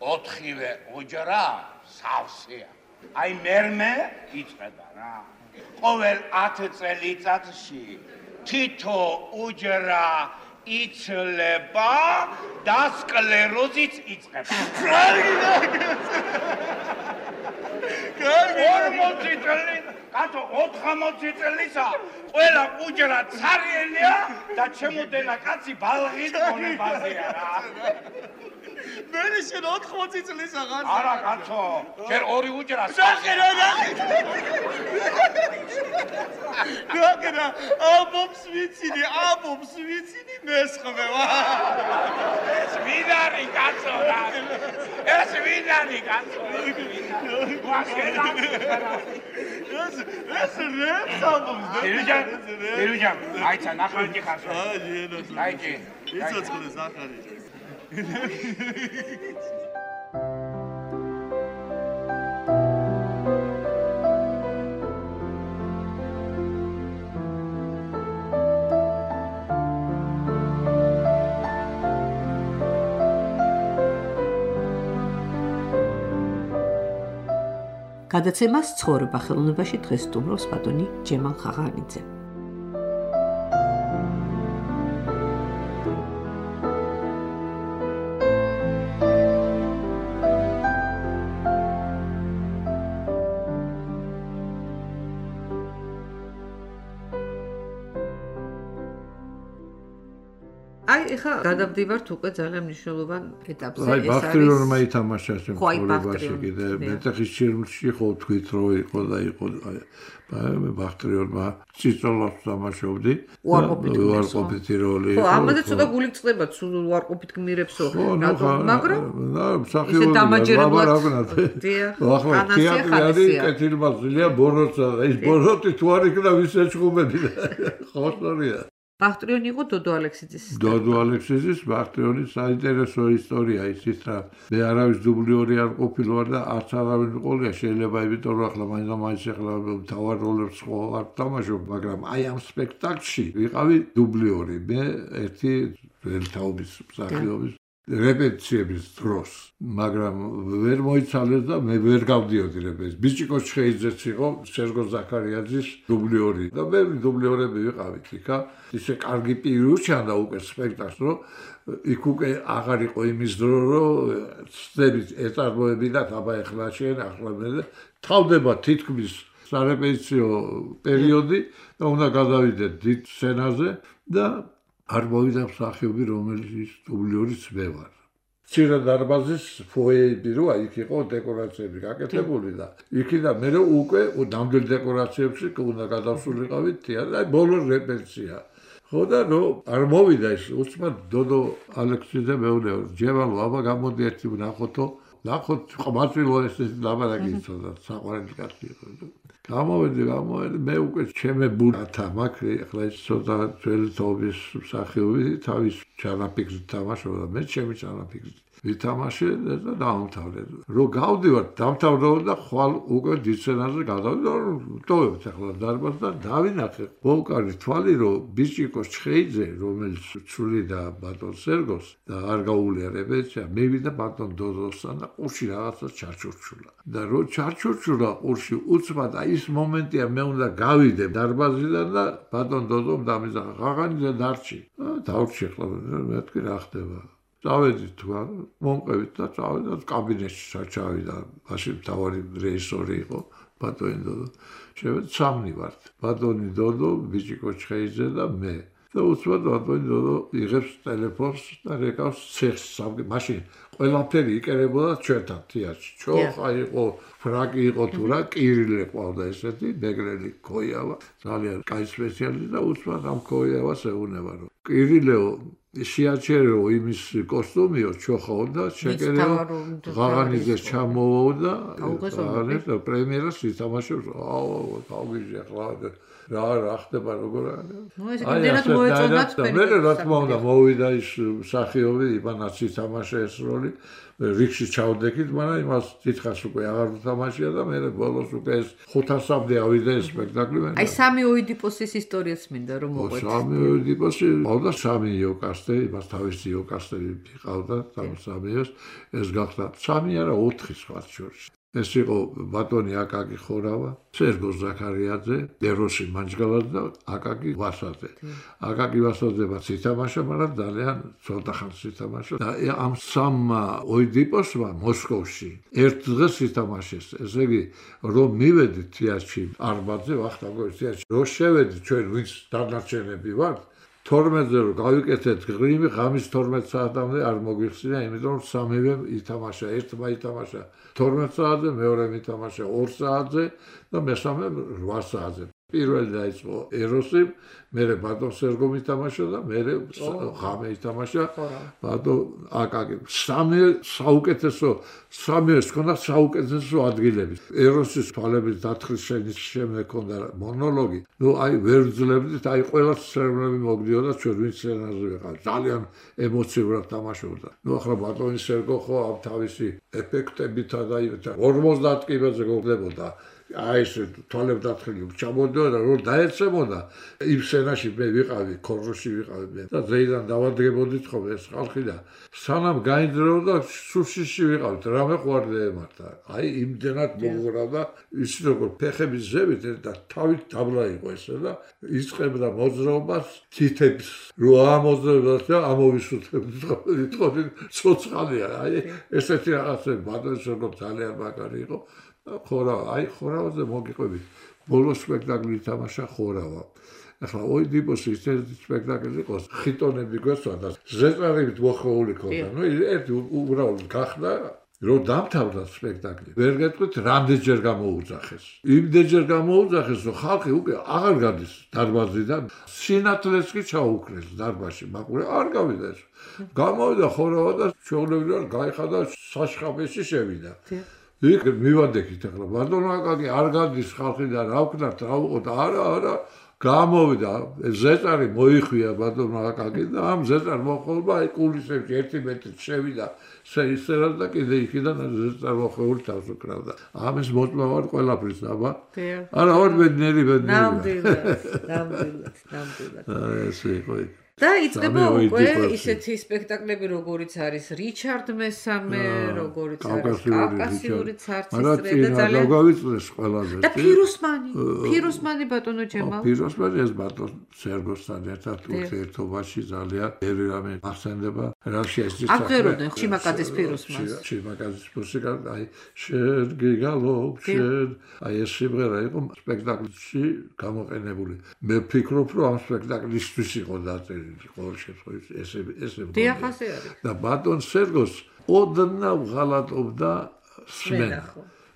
S6: 4-ვე უჯრა სავსეა. აი მერმე იწყება რა. ყოველ 10 წელიწადში თითო უჯრა იცლება და სკლეროზიც იწყება.
S4: კარგი.
S6: 40 წელი, კაცო 80 წელისა ყველა უჯრა ცარიელია და ჩემოდენა კაცი ბალღის გონებაზეა რა.
S4: მე შენ 80 წლის აღარ.
S6: არა კაცო, შენ 2 უჯრა
S4: სახერა. გაგერა, აბობს ვიცინი მესხმე ვა.
S6: ეს ვინარი კაცო რა. ეს ვინარი კაცო.
S4: ეს რებს აბობს.
S6: ფირუჯან, აიცა ნახევარი ხარსო.
S4: აიჭი. იცოცხლე ზახარიჯი.
S2: გადაცემას ცხოვრება ხელოვნებაში დღეს სტუმრობს ბატონი ჯემალ ხაღანიძე. ეხლა გადავდივართ უკვე ძალიან მნიშვნელოვან ეტაპზე.
S3: ეს არის ბახტრიონმა ითამაშა შემთხვევაში კიდე მეტეხის ჩირმში ხო თქვით რომ იყო და იყო ბახტრიონმა ციცოლას თამაშობდი. უარყოფითი როლი.
S2: ხო, ამაზე ცოტა გული წდება, სულ უარყოფით გმირებსო. მაგრამ
S3: მსახიობი დამაჯერებლად. ახლა თეატრი არის კეთილმაღლია ბოროტსა და ის ბოროტი თუ არ იქნა ვის ეჩხუბები. ხო სწორია.
S2: ბახტრიონი იყო დოდო ალექსიძის.
S3: დოდო ალექსიძის ბახტრიონის საინტერესო ისტორია ის რა მე არავის დუბლიორი არ ყოფილვარ და არც არავინ ყოლია შეიძლება იმიტომ რომ ახლა მაინც ახლა თავარ როლებს ხო არ თამაშობ მაგრამ აი ამ სპექტაკლში ვიყავი დუბლიორი მე ერთი ველთაობის მსახიობის რეპეტიციების დროს მაგრამ ვერ მოიცალეს და მე ვერ გავდიოდი რეპეტიციებში ბიჭიკო ჩხეიძეც იყო სერგო ზაქარიაძის დუბლიორი და მე დუბლიორები ვიყავით იქა ისე კარგი პირი უჩანდა უკვე სპექტაკლს რომ იქ უკვე აღარ იყო იმის დრო რომ სცენით ეტარბოებინათ აბა ეხლა შენ ახლა მე თავდება თითქმის სარეპეტიციო პერიოდი და უნდა გადავიდეთ დიდ სცენაზე და არ მოვიდა მსახიობი რომელიც დუბლიორიც მე ვარ. მცირე დარბაზის ფოიეები როა იქ იყო დეკორაციები გაკეთებული და იქიდან მე უკვე ნამდვილ დეკორაციებში უნდა გადავსულიყავით თეატრში ბოლო რეპეტიცია. ხო და ნუ არ მოვიდა ის უცბად დოდო ალექსიძე მეუნე ჯემალო აბა გამოდი ერთი ვნახოთო ნახოთ ყმაწვილო ეს ლაბარაკი იცოდა საყვარელი კაცი იყო. გამოვედი მე უკვე ჩემე ბურათა მაქვს ახლა ის ცოტა ძველი თაობის მსახიობი თავის ჩანაფიქრით თამაშობდა მე ჩემი ჩანაფიქრით ვითამაშე და დაამთავრე რომ გავდივარ დამთავრდა და ხვალ უკვე დისცენაზე გადავიდა ტოვებთ ახლა დარბაზს და დავინახე ბოლკარი თვალი რომ ბიჭიკოს ჩხეიძე რომელიც ცვლიდა ბატონ სერგოს და არ გაუვლია რეპეტიცია მივიდა ბატონ დოდოსთან და ყურში რაღაცა ჩარჩურჩულა და რო ჩარჩურჩულა ყურში უცბად აი ის მომენტია მე უნდა გავიდე დარბაზიდან და ბატონ დოდომ დამიზახა ხაღანიძე დარჩი დავრჩი ახლა მეთქი რა ხდება წავედი თქვა მომყევით და წავედი კაბინეტში ჩავიდა მაშინ მთავარი რეჟისორი იყო ბატონი დოდო შევედი სამნი ვართ ბატონი დოდო ბიჭიკო ჩხეიძე და მე და უცბად ბატონი დოდო იღებს ტელეფონს და რეკავს ცეხს მაშინ ყველაფერი იკერებოდა ჩვენთან თეატრში ჩოხა იყო ფრაკი იყო თუ რა კირილე ყავდა ესეთი ბეგრელი ქოიავა ძალიან კაი სპეციალისტი და უცბად ამ ქოიავას ეუნება რომ კირილეო შეაჩერეო იმის კოსტუმიო ჩოხაო და შეკერეო ღაღანიძეს ჩამოვაო და აღარ პრემიერას ითამაშებს აუ გავგიჟე ახლა რა ხდება როგორ
S2: არის აი ეს მოეწონათ
S3: მე რა თქმა უნდა მოვიდა ის მსახიობი იბანაც ითამაშა ეს როლი რიქში ჩავდექით მაგრამ იმას თითქოს უკვე აღარ უთამაშია და მე ბოლოს უკვე ეს 500-მდე ავიდა ეს სპექტაკლი
S2: აი სამი ოიდიპოსის ისტორიაც მინდა რომ მოყვეთ
S3: სამი ოიდიპოსი ყავდა სამი იოკასტე იმას თავისი იოკასტები ყავდა სამიოს ეს გახდა სამი არა 4 სხვა შორის ეს იყო ბატონი აკაკი ხორავა, სერგო ზაქარიაძე, ეროსი მანჯგალაძე და აკაკი ვასაძე. აკაკი ვასაძეც ითამაშა, მაგრამ ძალიან ცოტა ხანს ითამაშა. და ამ სამ ოიდიპოსმა მოსკოვში ერთ დღეს ითამაშეს. ესე იგი, რომ მივედით თეატრში არმაძე ვახტანგოვის თეატრში, რომ შევედით ჩვენ ვინც დანარჩენები ვართ 12-ზე რომ გავიკეთეთ ღრიმი, ღამის 12 საათამდე არ მოგვიხსნა, იმიტომ რომ სამივე ითამაშა, ერთმა ითამაშა 12 საათზე, მეორემ ითამაშა 2 საათზე და მესამე 8 საათზე. პირველი დაიწყო ეროსი, მერე ბატონ სერგომ ითამაშა და მერე ღამე ითამაშა ბატონ აკაკი. სამი საუკეთესო, სამიეს ჰქონდა საუკეთესო ადგილები. ეროსის თვალების დათხრის შემდეგ ჰქონდა მონოლოგი. ნუ აი ვერ ვძლებდით, აი ყველა სცენები მოგდიოდა ჩვენ ვინც სცენაზე ვიყავით. ძალიან ემოციურად თამაშობდა. ნუ ახლა ბატონი სერგო ხო ამ თავისი ეფექტებითა და 50 კიბეზე გოგდებოდა. აი ეს თვალებდათხილი ჩამოდიოდა და რომ დაეცემოდა იმ სცენაში მე ვიყავი ქოროში ვიყავი მე და ზეიდან დავადგებოდით ხოლმე ეს ხალხი და სანამ გაინდრეოდა სუშიში ვიყავით რამე ყვარდა ემართა აი იმდენად მოგურავდა ისი როგორ ფეხების ზევით და თავით დაბლა იყო ესე და იწყებდა მოძრაობას თითებს რო ამოძრაობდა და ამოვისუთებდა თქო ცოცხალია აი ესეთი რაღაცები ბატონს როგორ ძალიან მაგარი იყო ხორავაზე მოგიყვებით ბოლო სპექტაკლი ითამაშა ხორავა ახლა ოიდიბოს ისეთი სპექტაკლი იყო ხიტონები გვესვა და ზეწარებით მოხეული ქონდა ნუ ერთი უბრალოდ გახდა რომ დამთავრდა სპექტაკლი ვერ გეტყვით რამდენჯერ გამოუძახეს იმდენჯერ გამოუძახეს რომ ხალხი უკვე აღარ გადის დარბაზიდან სინათლეს კი ჩაუქრეს დარბაზში მაყურე არ გავიდა ეს გამოვიდა ხორავა და ჩვეულებრივად გაიხადა საშხაპეში შევიდა იქ მივადექით ახლა ბატონო აკაკი არ გადის ხალხი და რა ვქნათ რა უყოთ არა გამოვიდა ზეწარი მოიხვია ბატონო აკაკი და ამ ზეწარ მოხოლმა აი კულისებში 1 მეტრი შევიდა ისერად და კიდე იქიდან ზეწარ მოხეული თავს უკრავდა ამის მოწმავარ ყველაფრის აბა არა არ ბედნიერი ნამდვილად ესე იყო
S2: და იწყება უკვე ისეთი სპექტაკლები როგორიც არის რიჩარდ მესამე როგორიც არის კავკასიური ცარცის წრე და ძალიან
S3: გავიწეს ყველაზე
S2: და ფიროსმანი ბატონო ჯემალ
S3: ფიროსმანი ეს ბატონ სერგოსთან ერთად ურთიერთობაში ძალიან ერამე ახსენდება რაში ეს
S2: აღეროდნენ ჩიმაკაძის ფიროსმანს
S3: ჩიმაკაძის მუსიკა აი შენ გიგალობ შენ აი ეს სიმღერა იყო სპექტაკლში გამოყენებული მე ვფიქრობ რომ ამ სპექტაკლისთვის იყო დაწერილი ყოველ შემთხვევაში ესე
S2: დიახასი არის
S3: და ბატონ სერგოს ოდნავ ღალატობდა სმენა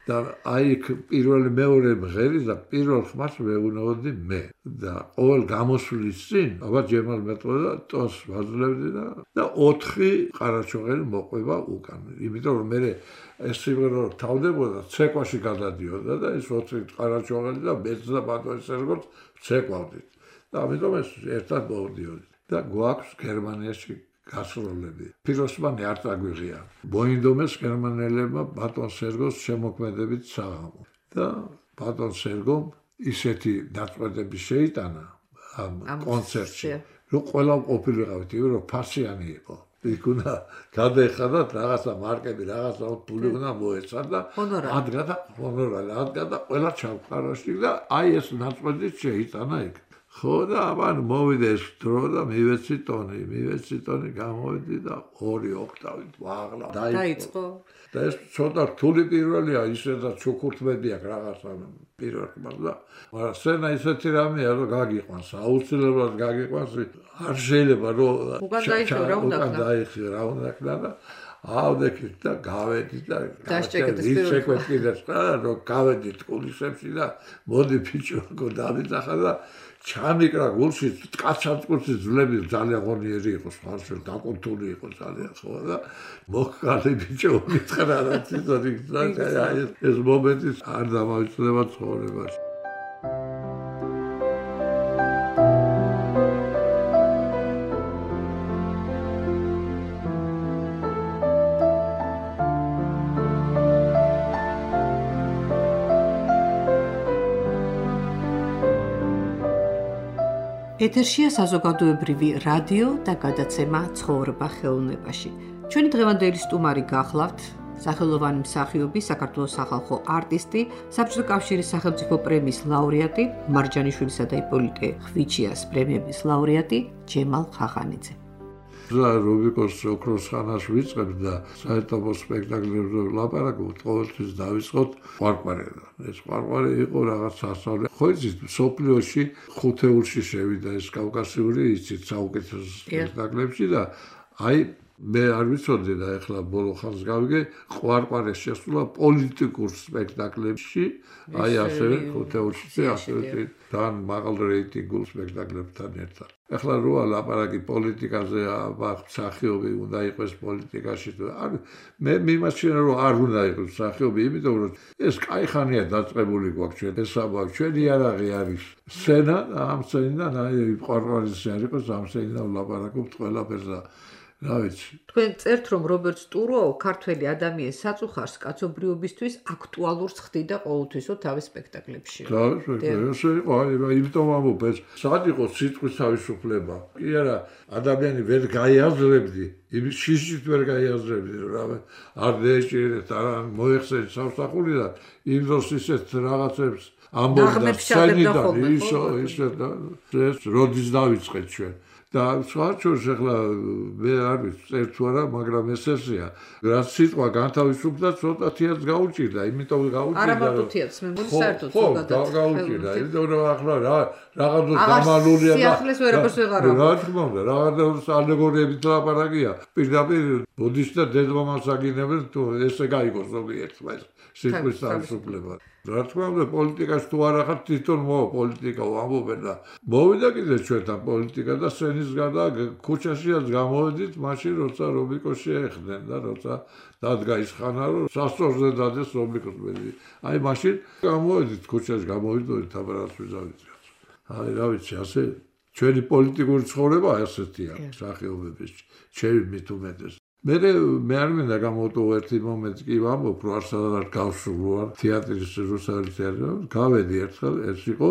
S3: და აი პირველი მეორე მღერის და პირველ ხმას მეუნაოდი მე და ყოველ გამოსვლის წინ აბა ჯემალ მეტყოდა ტოს ვაძლევდი და 4 ყარაჩოღელი მოყვება უკან იმიტომ რომ მე ეს სიმღერა თავდებოდა ცეკვაში გადადიოდა და ეს 4 ყარაჩოღელი და მეც და ბატონ სერგოს ცეკვავდით და ამიტომ ეს ერთად მოვდიოდით და გვაქვს გერმანიაში გასროლები. ფიროსმანი არ წაგვიღია. მოინდომეს გერმანელებმა ბატონ სერგოს შემოქმედებით საღამო. და ბატონ სერგომ ისეთი დაწყვეტები შეიტანა ამ კონცერტში, რომ ყველა ყოფილიყავით, რომ ფასიანი იყო. იქ უნდა გადაეხადათ რაღაცა მარკები, რაღაცა ფული უნდა მოეცა და ადგა და ყველა ჩავყაროში და აი ეს დაწყვეტი შეიტანა იქ. ხო და ამან მოვიდა ეს დრო და მივეცი ტონი გამოვიდი და 2 ოქტავით ვაღლა
S2: დაიწყო
S3: და ეს ცოტა რთული პირველია ისედაც ჩუქურთმედი აქვს რაღაცა პირველ ხმას და მაგრამ სცენა ისეთი რამეა რომ გაგიყვანს აუცილებლად გაგიყვანს არ შეიძლება რომ
S2: უკან დაიხო რა უნდა
S3: და ავდექით და გავედით და შეკვეთკიდეთ რომ გავედით კულისებში და მოდი ბიჭო დავიძახა და ჩამიკრა გულში კაცაცკურში ძლები ძალიან ღონიერი იყო ხალხი დაკონტული იყო ძალიან ხო და მოხალე ბიჭო მითხრა რა ცოტი ეს მომენტი არ დამავიწყდება ცხოვრებაში
S2: ეთერშია საზოგადოებრივი რადიო და გადაცემა ცხოვრება ხელოვნებაში. ჩვენი დღევანდელი სტუმარი გახლავთ სახელოვანი მსახიობი, საქართველოს სახალხო არტისტი, საბჭოთა კავშირის სახელმწიფო პრემიის ლაურეატი, მარჯანიშვილისა და იპოლიტე ხვიჩიას პრემიების ლაურეატი ჯემალ ხახანიძე.
S3: რუბიკოს ოქროს ხანას ვიწყებთ და საერთო სპექტაკლებზე ვლაპარაკობთ, ყოველთვის დავიწყოთ ყვარყვარედან. ეს ყვარყვარე იყო რაღაც სასწავლე. ხო იცით, სოფლიოში ხუთეულში შევიდა ეს კავკასიური, იცით, საუკეთესო სპექტაკლებში და აი მე არ ვიცოდი და ეხლა ბოლო ხანს გავიგე, ყვარყვარეს შესულა პოლიტიკურ სპექტაკლებში, აი ასევე ხუთეულში ასევე თან მაღალ რეიტინგულ სპექტაკლებთან ერთად. ეხლა როა ლაპარაკი პოლიტიკაზე, მსახიობი უნდა იყოს პოლიტიკაში თუ არ მე მიმაჩნია რომ არ უნდა იყოს მსახიობი, იმიტომ რომ ეს კაი ხანია დაწყებული გვაქვს ჩვენ ეს საბავშვო ჩვენი იარაღი არის სცენა და ამ სცენიდან აი ყვარყვარის არ იყოს ამ სცენიდან ვლაპარაკობთ ყველაფერს და რა ვიცი.
S2: თქვენ წერთ რომ რობერტ სტუროუ ქართველი ადამიანის საწუხარს კაცობრიობისთვის აქტუალურს ხდიდა ყოველთვისო თავის სპექტაკლებში.
S3: ესე იყო, იმიტომ ამბობ ეს სად იყო სიტყვის თავისუფლება. კი არა, ადამიანი ვერ გაიაზრებდი, იმის შიშით ვერ გაიაზრებდი, რომ არ დაეჭირეთ, არა მოეხსენეთ სამსახურიდან, იმ დროს ისეთ რაღაცებს ამბობდა სცენიდან, ის როდის დავიწყეთ ჩვენ. და სხვა შორს ახლა მე არ ვიცი წერთ თუ არა, მაგრამ ეს ესეა. რაც სიტყვა განთავისუფლდა, ცოტათიაც გაუჭირდა, იმიტომ გაუჭირდა.
S2: არა მარტო თიაც, მე მგონი საერთოდ ზოგადად.
S3: გაუჭირდა, იმიტომ რომ ახლა რაღაცა გამალულია და
S2: სიახლეს ვერაფერს ვეღარ აქვს.
S3: რა თქმა უნდა, რაღაცა ალეგორიებით ლაპარაკია. პირდაპირ ბუდისტ და დედმამას აგინებენ, თუ ესე გაიგოს ზოგიერთმა ეს სიტყვის თავისუფლება. რა თქმა უნდა, პოლიტიკაში თუ არ ახართ თვითონ პოლიტიკა ვამბობენ და მოვიდა კიდე ჩვენთან პოლიტიკა და სენის გარდა ქუჩაშიაც გამოვედით მაშინ როცა რობიკოს შეეხდნენ და როცა დადგა ის ხანა რომ სასწორზე დადეს რობიკოს მერი. აი მაშინ გამოვედით ქუჩაში გამოვიდოდით აბარას ვიზავით. აი რა ვიცი, ასე ჩვენი პოლიტიკური ცხოვრება ასეთია სახეობების ჩემი მით უმეტეს. მე არ მინდა გამოვტოვო ერთი მომენტი კი ვამბობ რომ არასდროს გავსრულვარ თეატრის რუსული თეატრი გავედი ერთხელ ეს იყო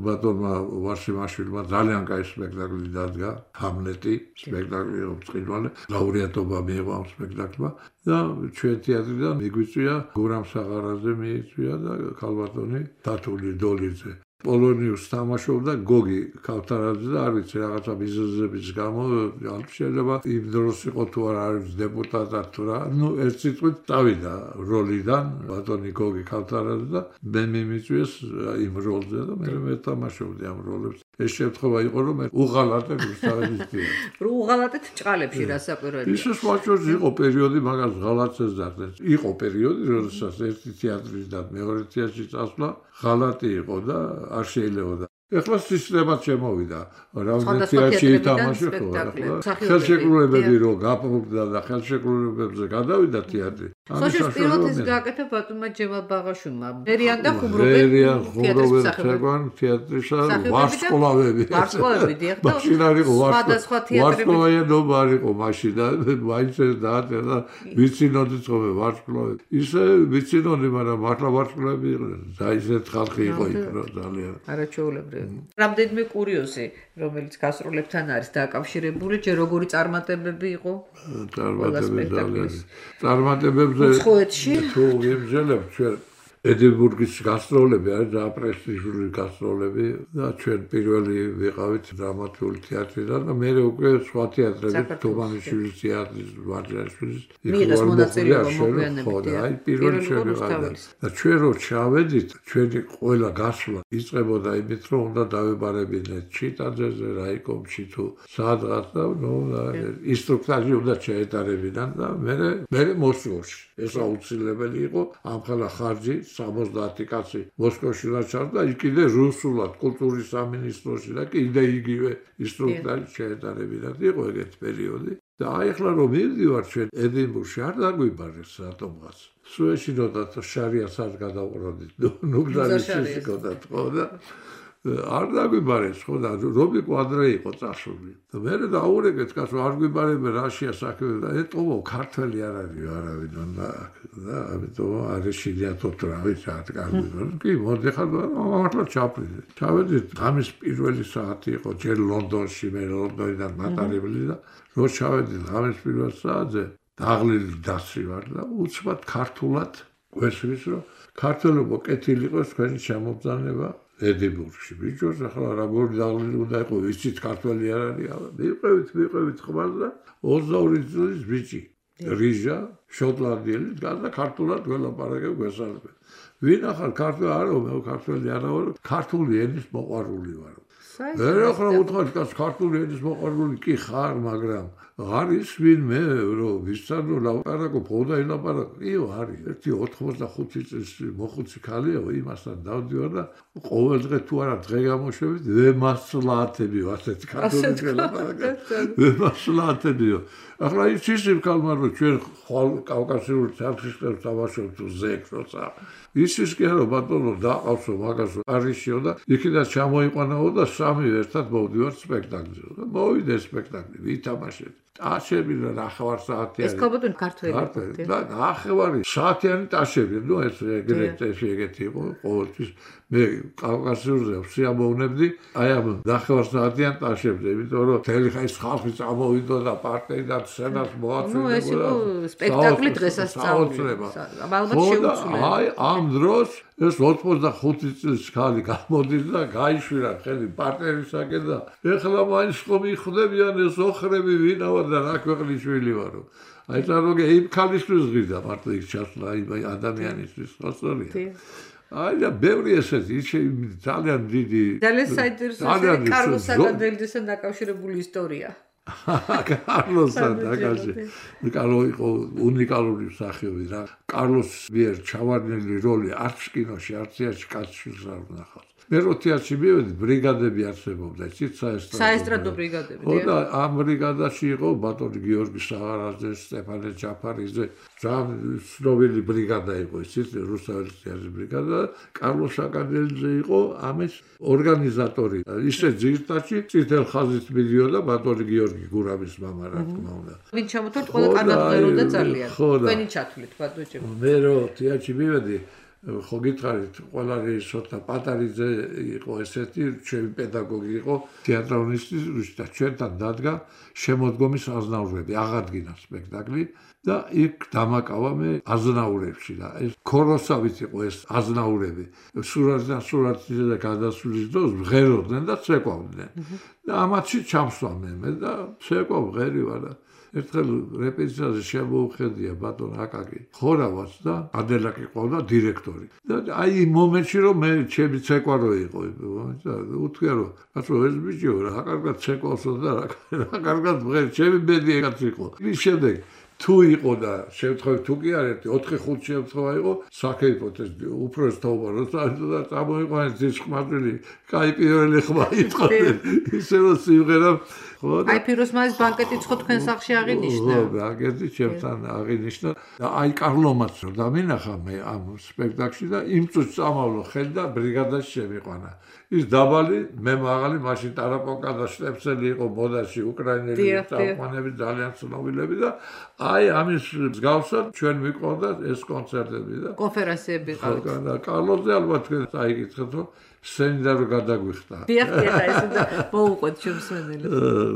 S3: ბატონმა ვარშიმაშვილმა ძალიან კაი სპექტაკლი დადგა ჰამლეტი სპექტაკლი იყო ბრწყინვალე ლაურეატობა მიიღო ამ სპექტაკლმა და ჩვენ თეატრიდან მიგვიწვია გურამ საღარაძე მიიწვია და ქალბატონი დათული დოლიძე პოლონიუს თამაშობდა გოგი ქავთარაძე და არ ვიცი რაღაცა ბიზნესების გამო შეიძლება იმ დროს იყო თუ არ არის დეპუტატად თუ რა ნუ ერთ სიტყვით წავიდა როლიდან ბატონი გოგი ქავთარაძე და მე მიმიწვიეს იმ როლზე და მე ვეთამაშობდი ამ როლებს ეს შემთხვევა იყო რომ მე უღალატებ რუსთავის
S2: რო უღალატეთ ჭყალებში რასაკვირველია
S3: ისე სხვაჭორს იყო პერიოდი მაგას ღალატებს დაგდეს იყო პერიოდი როდესაც ერთი თეატრის და მეორე თეატრის წასვლა ღალატი იყო და არ შეიძლებოდა. ეხლა სისტემად შემოვიდა. რამდენი თეატრი ითამაშე ხო? ხელშეკრულებები რო გაფრთხილდა და ხელშეკრულებებზე გადავიდა თეატრი.
S2: სოჭის პილოტის გააკეთა ბატონმა ჯემალ ბაღაშვილმა. მერიან და ხუმრობენ
S3: თეატრისა ვარსკვლავები.
S2: ვარსკვლავები დიახ და
S3: სხვადასხვა ვარსკვლავიანობა არ იყო მაშინ და მაინც ეს დააწერა ვიცინოდი ხოლმე ვარსკვლავები. ისე ვიცინოდი, მაგრამ მართლა ვარსკვლავები იყვნენ. და ისეთ ხალხი იყო იქ რა ძალიან.
S2: არაჩვეულებრივი. რამდენიმე კურიოზი, რომელიც გასტროლებთან არის დაკავშირებული, ჯერ როგორი წარმატებები იყო?
S3: წარმატებებზე თუ ვიმსჯელებთ ჩვენ ედინბურგის გასტროლები არის და პრესტიჟული გასტროლები და ჩვენ პირველი ვიყავით დრამატული თეატრიდან და მე უკვე სხვა თეატრები თუმანიშვილის თეატრის ვარჯაშვილის
S2: მიიღეს მონაწილეობა მოგვიანებით
S3: აი პირველი შევიყავდა და ჩვენ რო ჩავედით ჩვენი ყველა გასვლა იწყებოდა იმით რომ უნდა დავებარებინეთ ჩიტაძეზე რაიკომში თუ სადღაც და ნუ ინსტრუქტორი უნდა შეეტარებინან და მე მოსკოვში ეს აუცილებელი იყო ამ ხალა ხარჯი 70 კაცი მოსკოვში დაჭარბდა იქ კიდე რუსულად კულტურის სამინისტროში და კიდე იგივე ინსტრუქტორი შეეტარებინათ იყო ეგეთი პერიოდი და აი ახლა რომ მივდივარ ჩვენ ედინბურგში არ დაგვიბარეს რატომღაც სუეში როდათ შარიას არ გადავყროდით ნუ გზარის გოდათ ხო და არ დაგვიბარეს ხო და რობი კვადრე იყო წასული და მე დაურეკეთ კაცო არ გვიბარებენ რაშია საქმე და ეტყობო ქართველი არ არის არავინ და ამიტომ არის შეიათოთ რა ვიცი რა კარგი კი მოდი ხარ მართლა ჩავედით ამის პირველი საათი იყო ჯერ ლონდონში მე ლონდონიდან მატარებელი და რო ჩავედით ამის პირველ საათზე დაღლილი დასი ვარ და უცბად ქართულად გვესმის რომ ქართველობა კეთილი იყოს თქვენი შემობრძანება ედინბურგში ბიჭოს ახლა როგორი დაღლილი უნდა იყო ვიცით ქართველი არ არის მივყევით ხმალ და 22 წლის ბიჭი რიჟა შოტლანდიელი და ქართულად გველაპარაკებ გვესალმებით ვინ ახალ ქართველი არა მე ქართველი არა ვარ ქართული ენის მოყვარული ვარ მე ახლა უთხრა ქართული ენის მოყვარული კი ხარ მაგრამ არის ვინმე რომ ვისთან ლაპარაკო ფოდა ელაპარაკო იო არის ერთი 85 წლის მოხუცი ქალია იმასთან დავდივარ და ყოველ დღე თუ არა დღე გამოშვებით ვემასლაათებიო ასეთი ქართული ლაპარაკა ვემასლაათებიო ახლა ის ქალმა რომ ჩვენ ხვალ კავკასიური თეატრში თამაშობთ ზეკს როცა ის კი არა ბატონო დაყავსო მაგასო არიშიო და იქიდან ჩამოიყვანაო და სამივე ერთად მოვდივართ სპექტაკლზე. მოვიდე სპექტაკლი, ვითამაშეთ. ტაშები ნახევარ საათიანი.
S2: ეს ქობოტუნ ქართველი.
S3: და ნახევარი საათიანი ტაშები, ნუ ეს ეგეთი იყო ყოველთვის. მე კავკასიურზე სიამოვნებდი აი ამ ნახევარ საათიან ტაშებზე, იმიტომ რომ თელი ხაის ხალხი წამოვიდა და პარტიიდან სცენას მოაწვევდა.
S2: ნუ ეს იყო სპექტაკლი დღესასწაული. ალბათ შეუცვლელი.
S3: აი ამ დროს ეს 85 წლის ხალი გამოდის და გაიშვირა ხელი პარტნიორისაკენ და ეხლა მაინც ხომ იხდებიან ეს ოხრები ვინავა და რა ქვეყნის შვილი ვარო. აი წარმოგე იმ ქალისთვის ღირდა მარტო იქ ჩასვლა იმ ადამიანისთვის ხოსწორია. აი და ბევრი ესეთი ძალიან დიდი
S2: ძალიან საინტერესოა კარლოს საკადელდესთან დაკავშირებული ისტორია.
S3: კარლოსთან დაკავშირებული. კარლო იყო უნიკალური მსახიობი რა. კარლოს მიერ ჩავარდნილი როლი არც კინოში, არც თეატრში კაცშვილს არ ვნახავთ. მე რო თეატრში მივედი, ბრიგადები არსებობდა, იცით
S2: საესტრადო ბრიგადები.
S3: და ამ ბრიგადაში იყო ბატონი გიორგი საღარაძე, სტეფანე ჯაფარიძე, ძალიან ცნობილი ბრიგადა იყო, იცით, რუსთაველის თეატრის ბრიგადა. კარლოს საკადელძე იყო ამის ორგანიზატორი. ისე ძირთაში წითელ ხაზით მიდიოდა ბატონი გიორგი გურამის მამა, რა თქმა უნდა.
S2: ვინ ჩამოთვალთ ყველა კანონმდებლობა ძალიან. თქვენი ჩათვლით ბატონო.
S3: მე რო თეატრში მივედი ხო გითხარით, ყველა რეჟისორთა პატარიძე იყო ესეთი, ჩემი პედაგოგი იყო, თეატრონისტი და ჩვენთან დადგა შემოდგომის აზნაურები, აღადგინა სპექტაკლი და იქ დამაკავა მე აზნაურებში და ეს ქოროსავით იყო ეს აზნაურები. სურათზე და გადასვლის დროს მღეროდნენ და ცეკვავდნენ. და ამათში ჩამსვა მე და ცეკვავ მღერი ვარ და ერთხელ რეპეტიციაზე შემოუხედია ბატონ აკაკი ხორავაც და ადელაკი ყავდა დირექტორი. და აი იმ მომენტში რომ მე ჩემი ცეკვა რო იყო და უთქია რომ კაცო ეს ბიჭო რა კარგად ცეკვავსო და რა კარგად მღერი ჩემი ბედი ეგაც იყო. ის შემდეგ თუ იყო და შემთხვევით თუ კი არ ერთი 4-5 შემთხვევა იყო საკეიფოთ ეს უბრალოდ თაობა როცა და წამოიყვანეს ძის ხმარული კაი პირველი ხმა იყო ისე რომ სიმღერა
S2: აი პიროსმაის ბანკეტიც ხო თქვენ სახში აღინიშნა?
S3: ხო, ბანკეტი ჩემთან აღინიშნა და აი კარლომაც რომ დამინახა მე ამ სპექტაკლში და იმ წუთს წამავლო ხელი და ბრიგადაში შემიყვანა. ის დაბალი, მე მაღალი, მაშინ ტარაპონკა და შტეფსელი იყო მოდაში უკრაინელი წამყვანები ძალიან ცნობილები და აი ამის მსგავსად ჩვენ მიყვარდა ეს კონცერტები და
S2: კონფერენციები ყავით.
S3: და კარლოზე ალბათ თქვენ წაიკითხეთ რომ სცენიდან რო გადაგვიხტა.
S2: დიახ, ეს და მოუყვეთ შემსვენელი.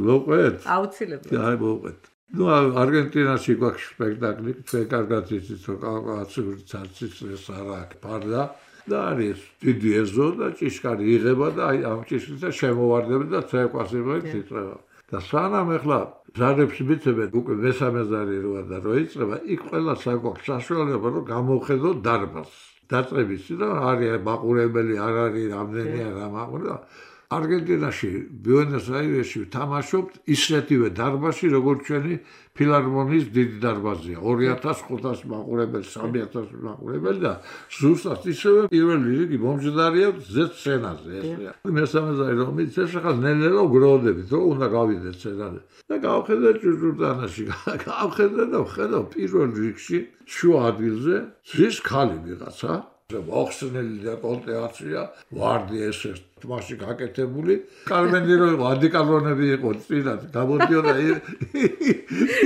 S3: მოუყვეთ?
S2: აუცილებლად.
S3: აი მოუყვეთ. ნუ არგენტინაში გვაქვს სპექტაკლი, თქვენ კარგად იცით რომ კავკასიური ცარცის არა აქვს ფარდა და არის დიდი ეზო და ჭიშკარი იღება და აი ამ ჭიშკრითა შემოვარდება და ცეკვასებად იწება. და სანამ ეხლა ზარებს მიცემენ უკვე მესამე ზარი როა და რო იწება, იქ ყველა საგვაქვს საშუალება რომ გამოვხედოთ დარბაზს. დაწყების და არის მაყურებელი არ არის რამდენია რა მაყურება. არგენტინაში, ბუენოს-აირესში თამაშობთ ისეთივე დარბაზში, როგორც ჩვენი ფილარმონიის დიდი დარბაზია. 2500 მაყურებელი, 3000 მაყურებელი და ზუსტად ისევე პირველი რიგი მომჯდარია ზეც სცენაზე ესეა. მესამე ზარი რომ იცეს ახლა ნელ-ნელა გროვდებით, რომ უნდა გავიდეთ სცენაზე. და გავხედე ჭურჭურდანაში, გავხედე და ვხედავ პირველ რიგში შუა ადგილზე ზის ხალი ვიღაცა. მოხსნელი და კონტეაცია, ვარდი ესე თმაში გაკეთებული. კარმენი რო იყო, ადიკალონები იყო წინათ, გამოდიოდა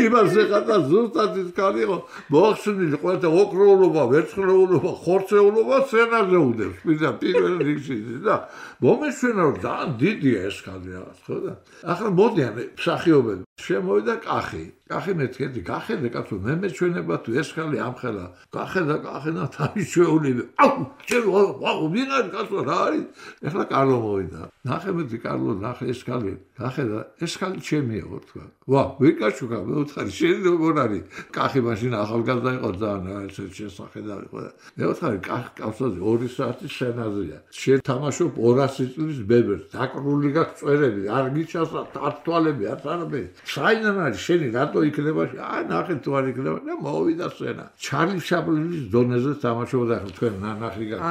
S3: იმას ეხლა ზუსტად ის ხალი იყო, მოხსნილი ყველა ოქროულობა, ვერცხლეულობა, ხორცეულობა სცენაზე უდევს. პირველ რიგში და მომეშვენა რომ ძალიან დიდია ეს ხალი რაღაც, ხო და? ახლა მოდიან მსახიობები, შემოვიდა კახი. კახი მეთქედი, გახედე კაცო, მე მეჩვენება თუ ეს ხალი ამხელა. გახედა თავის შეულები. აუ, ჩემ ვაუ, ვინ არის კაცო, რა არის? ეხლა კარლო მოვიდა. ნახე მეტი კარლო, ნახე ეს ხალი. გახედა, ეს ხალი ჩემია ხო თქვა. ვა, ვიკაჩუკა, მე ვთხარი, შენ როგორ არის? კახი მაშინ ახალგაზრდა იყო ძალიან ესე შესახედავი ხო და. მე ვთხარი, კაცოზე 2 საათი სცენაზეა. შენ თამაშობ 200 წლის ბებერს, დაკრული გაქვს წვერები, არ გიჩასა თვალები, არ არაფერი. საიდან არის შენი რატო იქნება? აი ნახე თუ არ იქნება და მოვიდა სცენა. ჩარლი შაპლინის დონეზე თამაშობდა ხო თქვენ ნახი გაქვს.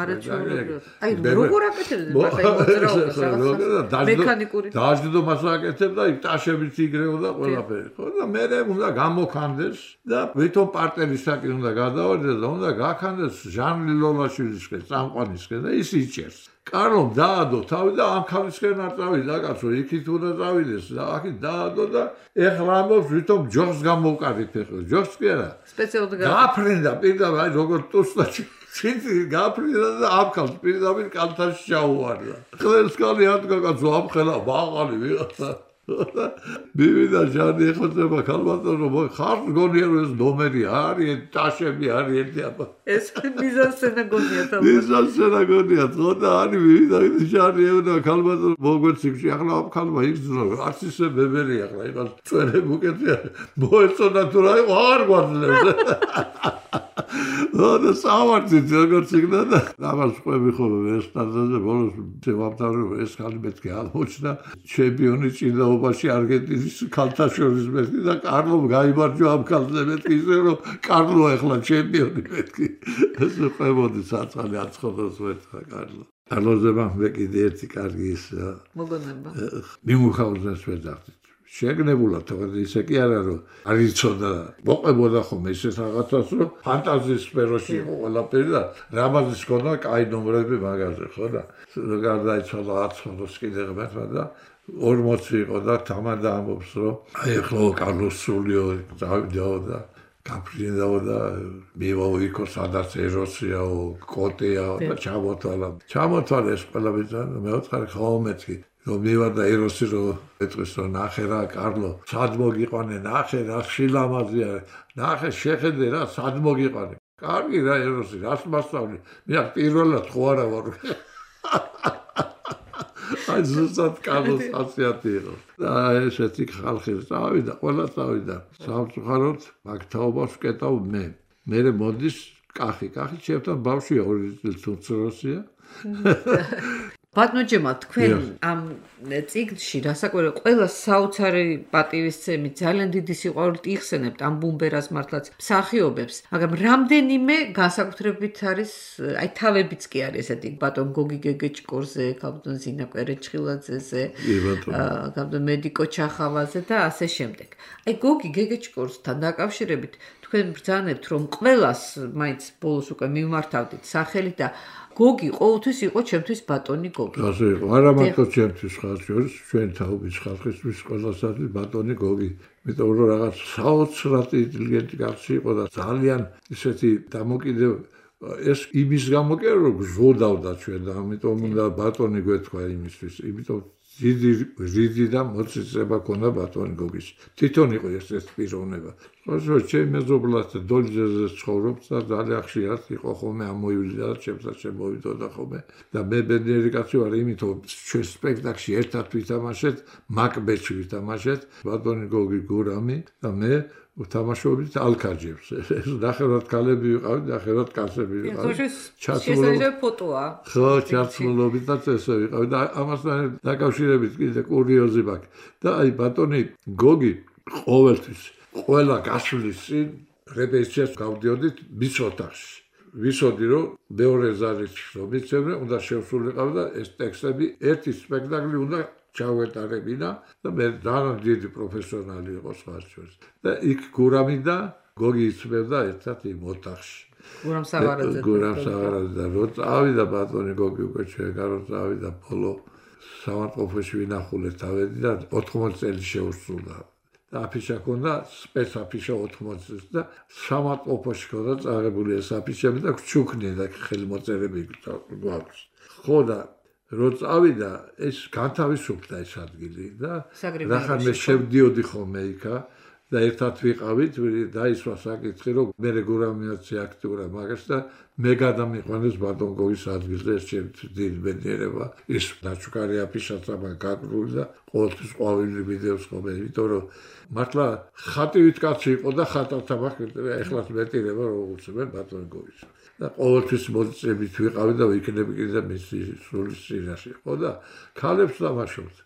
S2: აი როგორ აკეთებდნენ მაგ მექანიკური
S3: დაждდომას აკეთებდა, იქ ტაშებით იგრეოდა ყველაფერი. ხო და მე უნდა გამოქანდეს და ვითომ პარტნიორისაკენ უნდა გადავარდეს და უნდა გაქანდეს ჟანრი ლოლაშვილისკენ, წამყვანისკენ და ის იჭერს. კარლომ დაადო თავი და ამ ქალისკენ არ წავიდა კაცო, იქით უნდა წავიდეს და აქეთ დაადო და ეხლა ამბობს ვითომ ჯოხს გამოვკარით ეხლა. ჯოხს კი არა.
S2: სპეციალურად
S3: გაფრინდა პირდაპირ აი როგორ ტუსტა ჩინი გაფრინდა და ამ ქალს პირდაპირ კალთაში ჩაუვარდა. ხელს კალი ადგა კაცო ამ ხელა ბაღალი ვიღაცა. მივიდა ჟანი ეხოთება ქალბატონო ხარ გონია რომ ეს ნომერი არის ტაშები არის აბა
S2: ეს მიზანსცენა გონია თავი
S3: მიზანსცენა გონია თქო არის მივიდა ჟანი ეუნა ქალბატონო მოგვეციქში ახლა ამ ქალმა იგზნო არც ისე ბებერი ახლა იყო წვერები უკეთია მოეწონა თუ რა იყო აღარ გვაძლევს და სავარდით როგორც იქნა და ამას ყვები ხოლმე ეს სტანდარტზე ბოლოს შევამთავრებ ეს ქალი მეთქე აღმოჩნდა ჩემპიონი ჭიდაობაში არგენტინის ქალთა შორის მეთქი და კარლომ გაიმარჯვა ამ ქალზე მეთქი ისე რომ კარლო ახლა ჩემპიონი მეთქი ეს ყვებოდი საწყალი აცხადოს მეთქა კარლო კარლოზება მე კიდე ერთი კარგი ის
S2: მოგონება
S3: მიმუხაუზეს ვეძახდით შეგნებულად თორე ისე კი არა რომ არ იცოდა მოყვებოდა ხოლმე ისეთ რაღაცას რომ ფანტაზიის სფეროში იყო ყველაფერი და რამაზის ქონდა კაი ნომრები მაგაზე ხო და გარდაიცვალა 10 კიდე ღმერთმა და 40 იყო და თამადა ამბობს რომ აი ახლა კარლოს სულიო დავიდაო და გაფრინდაო და მივავიქო სადაც ეროსიაო კოტეაო და ჩამოთვალა ეს ყველა ბიძა მეოთხარი ხაომეთკი რომ მივარდა ეროსი რომ ეტყვის რომ ნახე რა კარლო სად მოგიყვანე ნახე რა შილამაზია ნახე შეხედე რა სად მოგიყვანე კარგი რა ეროსი რას მასწავლი მე პირველად ხო არა ვარ აი ზუსტად კარლოს ასიათი იყო და ესეთი ხალხი წავიდა ყველა წავიდა სამწუხაროდ მაგ თაობას ვკეტავ მე მოდის კახი ჩემთან ბავშვია 2 წლის უცროსია
S2: ბატონო ჯემა თქვენ ამ წიგნში რასაკვირველია ყველა საოცარი პატივისცემი ძალიან დიდი სიყვარულით იხსენებთ ამ ბუმბერას მართლაც მსახიობებს მაგრამ რამდენიმე განსაკუთრებით არის აი თავებიც კი არის ესეთი ბატონ გოგი გეგეჭკორზე ბატონ ზინა კვერეჭხილაძეზე ბატონ მედიკო ჩახავაზე და ასე შემდეგ აი გოგი გეგეჭკორსთან დაკავშირებით თქვენ ბრძანებთ რომ ყველას მაინც ბოლოს უკვე მიმართავდით სახელი და გოგი ყოველთვის იყო ჩემთვის ბატონი გოგი.
S3: ასე იყო, არა მარტო ჩემთვის ხალხის, ჩვენ თაობის ხალხისთვის ყველასთვის ბატონი გოგი. იმიტომ რომ რაღაც საოცრად ინტელიგენტი კაცი იყო და ძალიან ისეთი დამოკიდებული ეს იმის გამო კი რომ გზოდავდა ჩვენ და ამიტომ უნდა ბატონი გვეთქვა იმისთვის. იმიტომ დიდი და მოწიწება ქონდა ბატონი გოგის. თვითონ იყო ეს პიროვნება. ხო, ჩემ მეზობლად დოლიძეზე ცხოვრობს და ძალიან ხშირად იყო ხოლმე ამოივლიდა და ჩემსაც შემოვიდოდა ხოლმე და მე ბედნიერი კაცი ვარ იმიტომ ჩვენ სპექტაკლში ერთად ვითამაშეთ მაკბეთში ვითამაშეთ ბატონი გოგი გურამი და მე ვთამაშობდით ალკაჯებს ეს ნახევრად ქალები ვიყავით ნახევრად კაცები ვიყავით
S2: შესაძლოა ფოტოა
S3: ხო ჩაცმულობითაც ესე ვიყავით და ამასთან დაკავშირებით კიდე კურიოზი მაქვს და აი ბატონი გოგი ყოველთვის ყველა გასვლის წინ რეპეტიციას გავდიოდით მის ოთახში. ვისოდი რომ მეორე ზარით რომ მიცემენ, უნდა შევსულიყავ და ეს ტექსტები ერთი სპექტაკლი უნდა ჩავეტარებინა და მე ძალიან დიდი პროფესიონალი იყო სხვათვის. და იქ გურამი და გოგი იცმევდა ერთად იმ ოთახში.
S2: გურამ სავარაძე
S3: და რო წავიდა ბატონი გოგი უკვე შეგარო წავიდა ბოლო სამარყოფოში ვინახულეთ თავედი და 80 წელი შეუსრულდა. აფიშა ქონდა სპეც აფიშა 80 წელს და სამარყოფოში ქონდა წაღებული ეს აფიშები და ჩუქნია და ხელმოწერები გვაქვს. ხო და რო წავიდა ეს განთავისუფლდა ეს ადგილი და რახან მე შევდიოდი ხოლმე იქა და ერთად ვიყავით დაისვა საკითხი რომ მე რეგულარიზაცია აქტიურა მაგას და მე გადამიყვანეს ბატონ გოგის ადგილზე ეს ჩემთვის ბედნიერება ის დაჩუკარი აფიშაც ამან გაგრული და ყოველთვის ყვავილი ვიდეოს ხოლმე იმიტომ რომ მართლა ხატივით კაცი იყო და ხატავთა ეხლაც მეტირება როგორც მე ბატონ გოგის და ყოველთვის მოწებით ვიყავი და ვიქნები კიდე მისი სულის წინაშე ხო და ქალებს დამაშობთ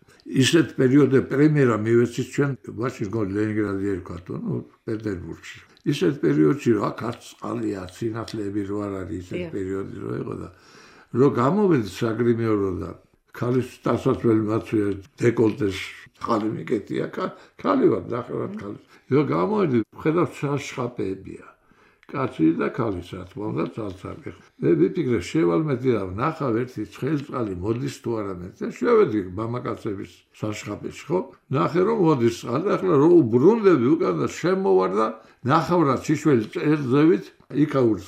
S3: ისეთ პერიოდზე პრემიერა მივეცით ჩვენ მაშინ გო ლენინგრადი ერქვა ნუ პეტერბურგში ისეთ პერიოდში რა ქართ წყალია სინათლეები რო არ არის ისეთ პერიოდი რო იყო და რო გამოვედი საგრიმეოროდან ქალის დასასველი მაცვია დეკოლტეს ხალი მიკეთია ქალი ვარ ნახევრად ქალი რო გამოვედი ხედავ შაშხაპებია კაცი და ქალის რა თქმა უნდა ცალ-ცალკე. მე ვიფიქრე შევალმედი და ნახავ ერთი ცხელწყალი მოდის თუ არა მე და შევედი მამაკაცების საშხაპეში ხო? ნახე რომ მოდის წყალი, ახლა რო უბრუნდები უკან და შემოვარ და ნახავ რა ჩიშველი წერზევით იქაურს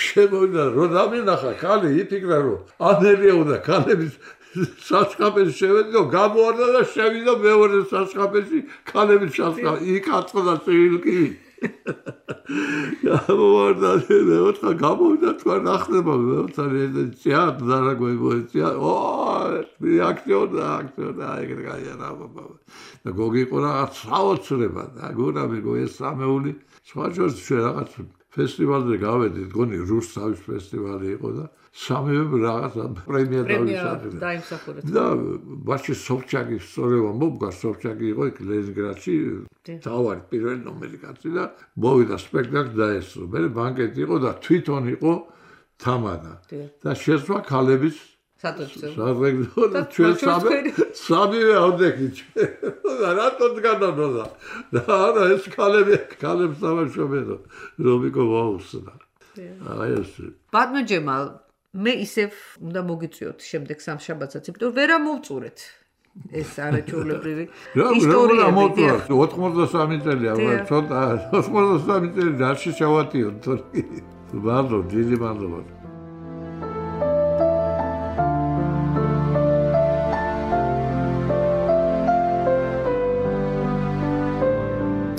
S3: შემოვიდა რო დამინახა ქალი იფიქრა რომ ანელია უნდა ქალების საშხაპეში შევედი და გამოვარდა და შევიდა მეორე საშხაპეში ქალების საშხაპი იქ აწყდა წილკი გამოვარდა და ოთხა გამოვიდა თქვა ნახდება მეოცარი თეატრ დარაგვებოეცია აქციონა ეგრე გაიარა ბაბა და გოგიყო რაღაც საოცრება და გურამი ეს სამეული სხვა შორის ჩვენ რაღაც ფესტივალზე გავედით გონი რუსთავის ფესტივალი იყო და სამივე რაღაც პრემია
S2: დაიმსახურეთ
S3: და ბაში სოფჩაკის სწორება მოგგა სოფჩაკი იყო იქ ლენინგრადში თავარი პირველი ნომერი კაცი და მოვიდა სპექტაკლი დაესწრო მე ბანკეტი იყო და თვითონ იყო თამადა და შესვა ქალების საწევრო და ჩვენ სამივე ავდექით და რატომ განანოდა და არა ეს ქალებს სამაშობედო რომიკო ვაუსნა აი ეს
S2: ბატონო ჯემალ მე ისევ უნდა მოგიწვიოთ შემდეგ სამშაბათსაც იმიტომ რომ ვერ ამოვწურეთ ეს არაჩვეულებრივი ისტორია
S3: 83 წელია ცოტა 83 წელი დარში შევატიო თორე ბარდო დიდი მადლობა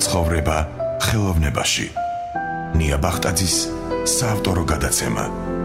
S1: ცხოვრება ხელოვნებაში ნია ბახტაძის საავტორო გადაცემა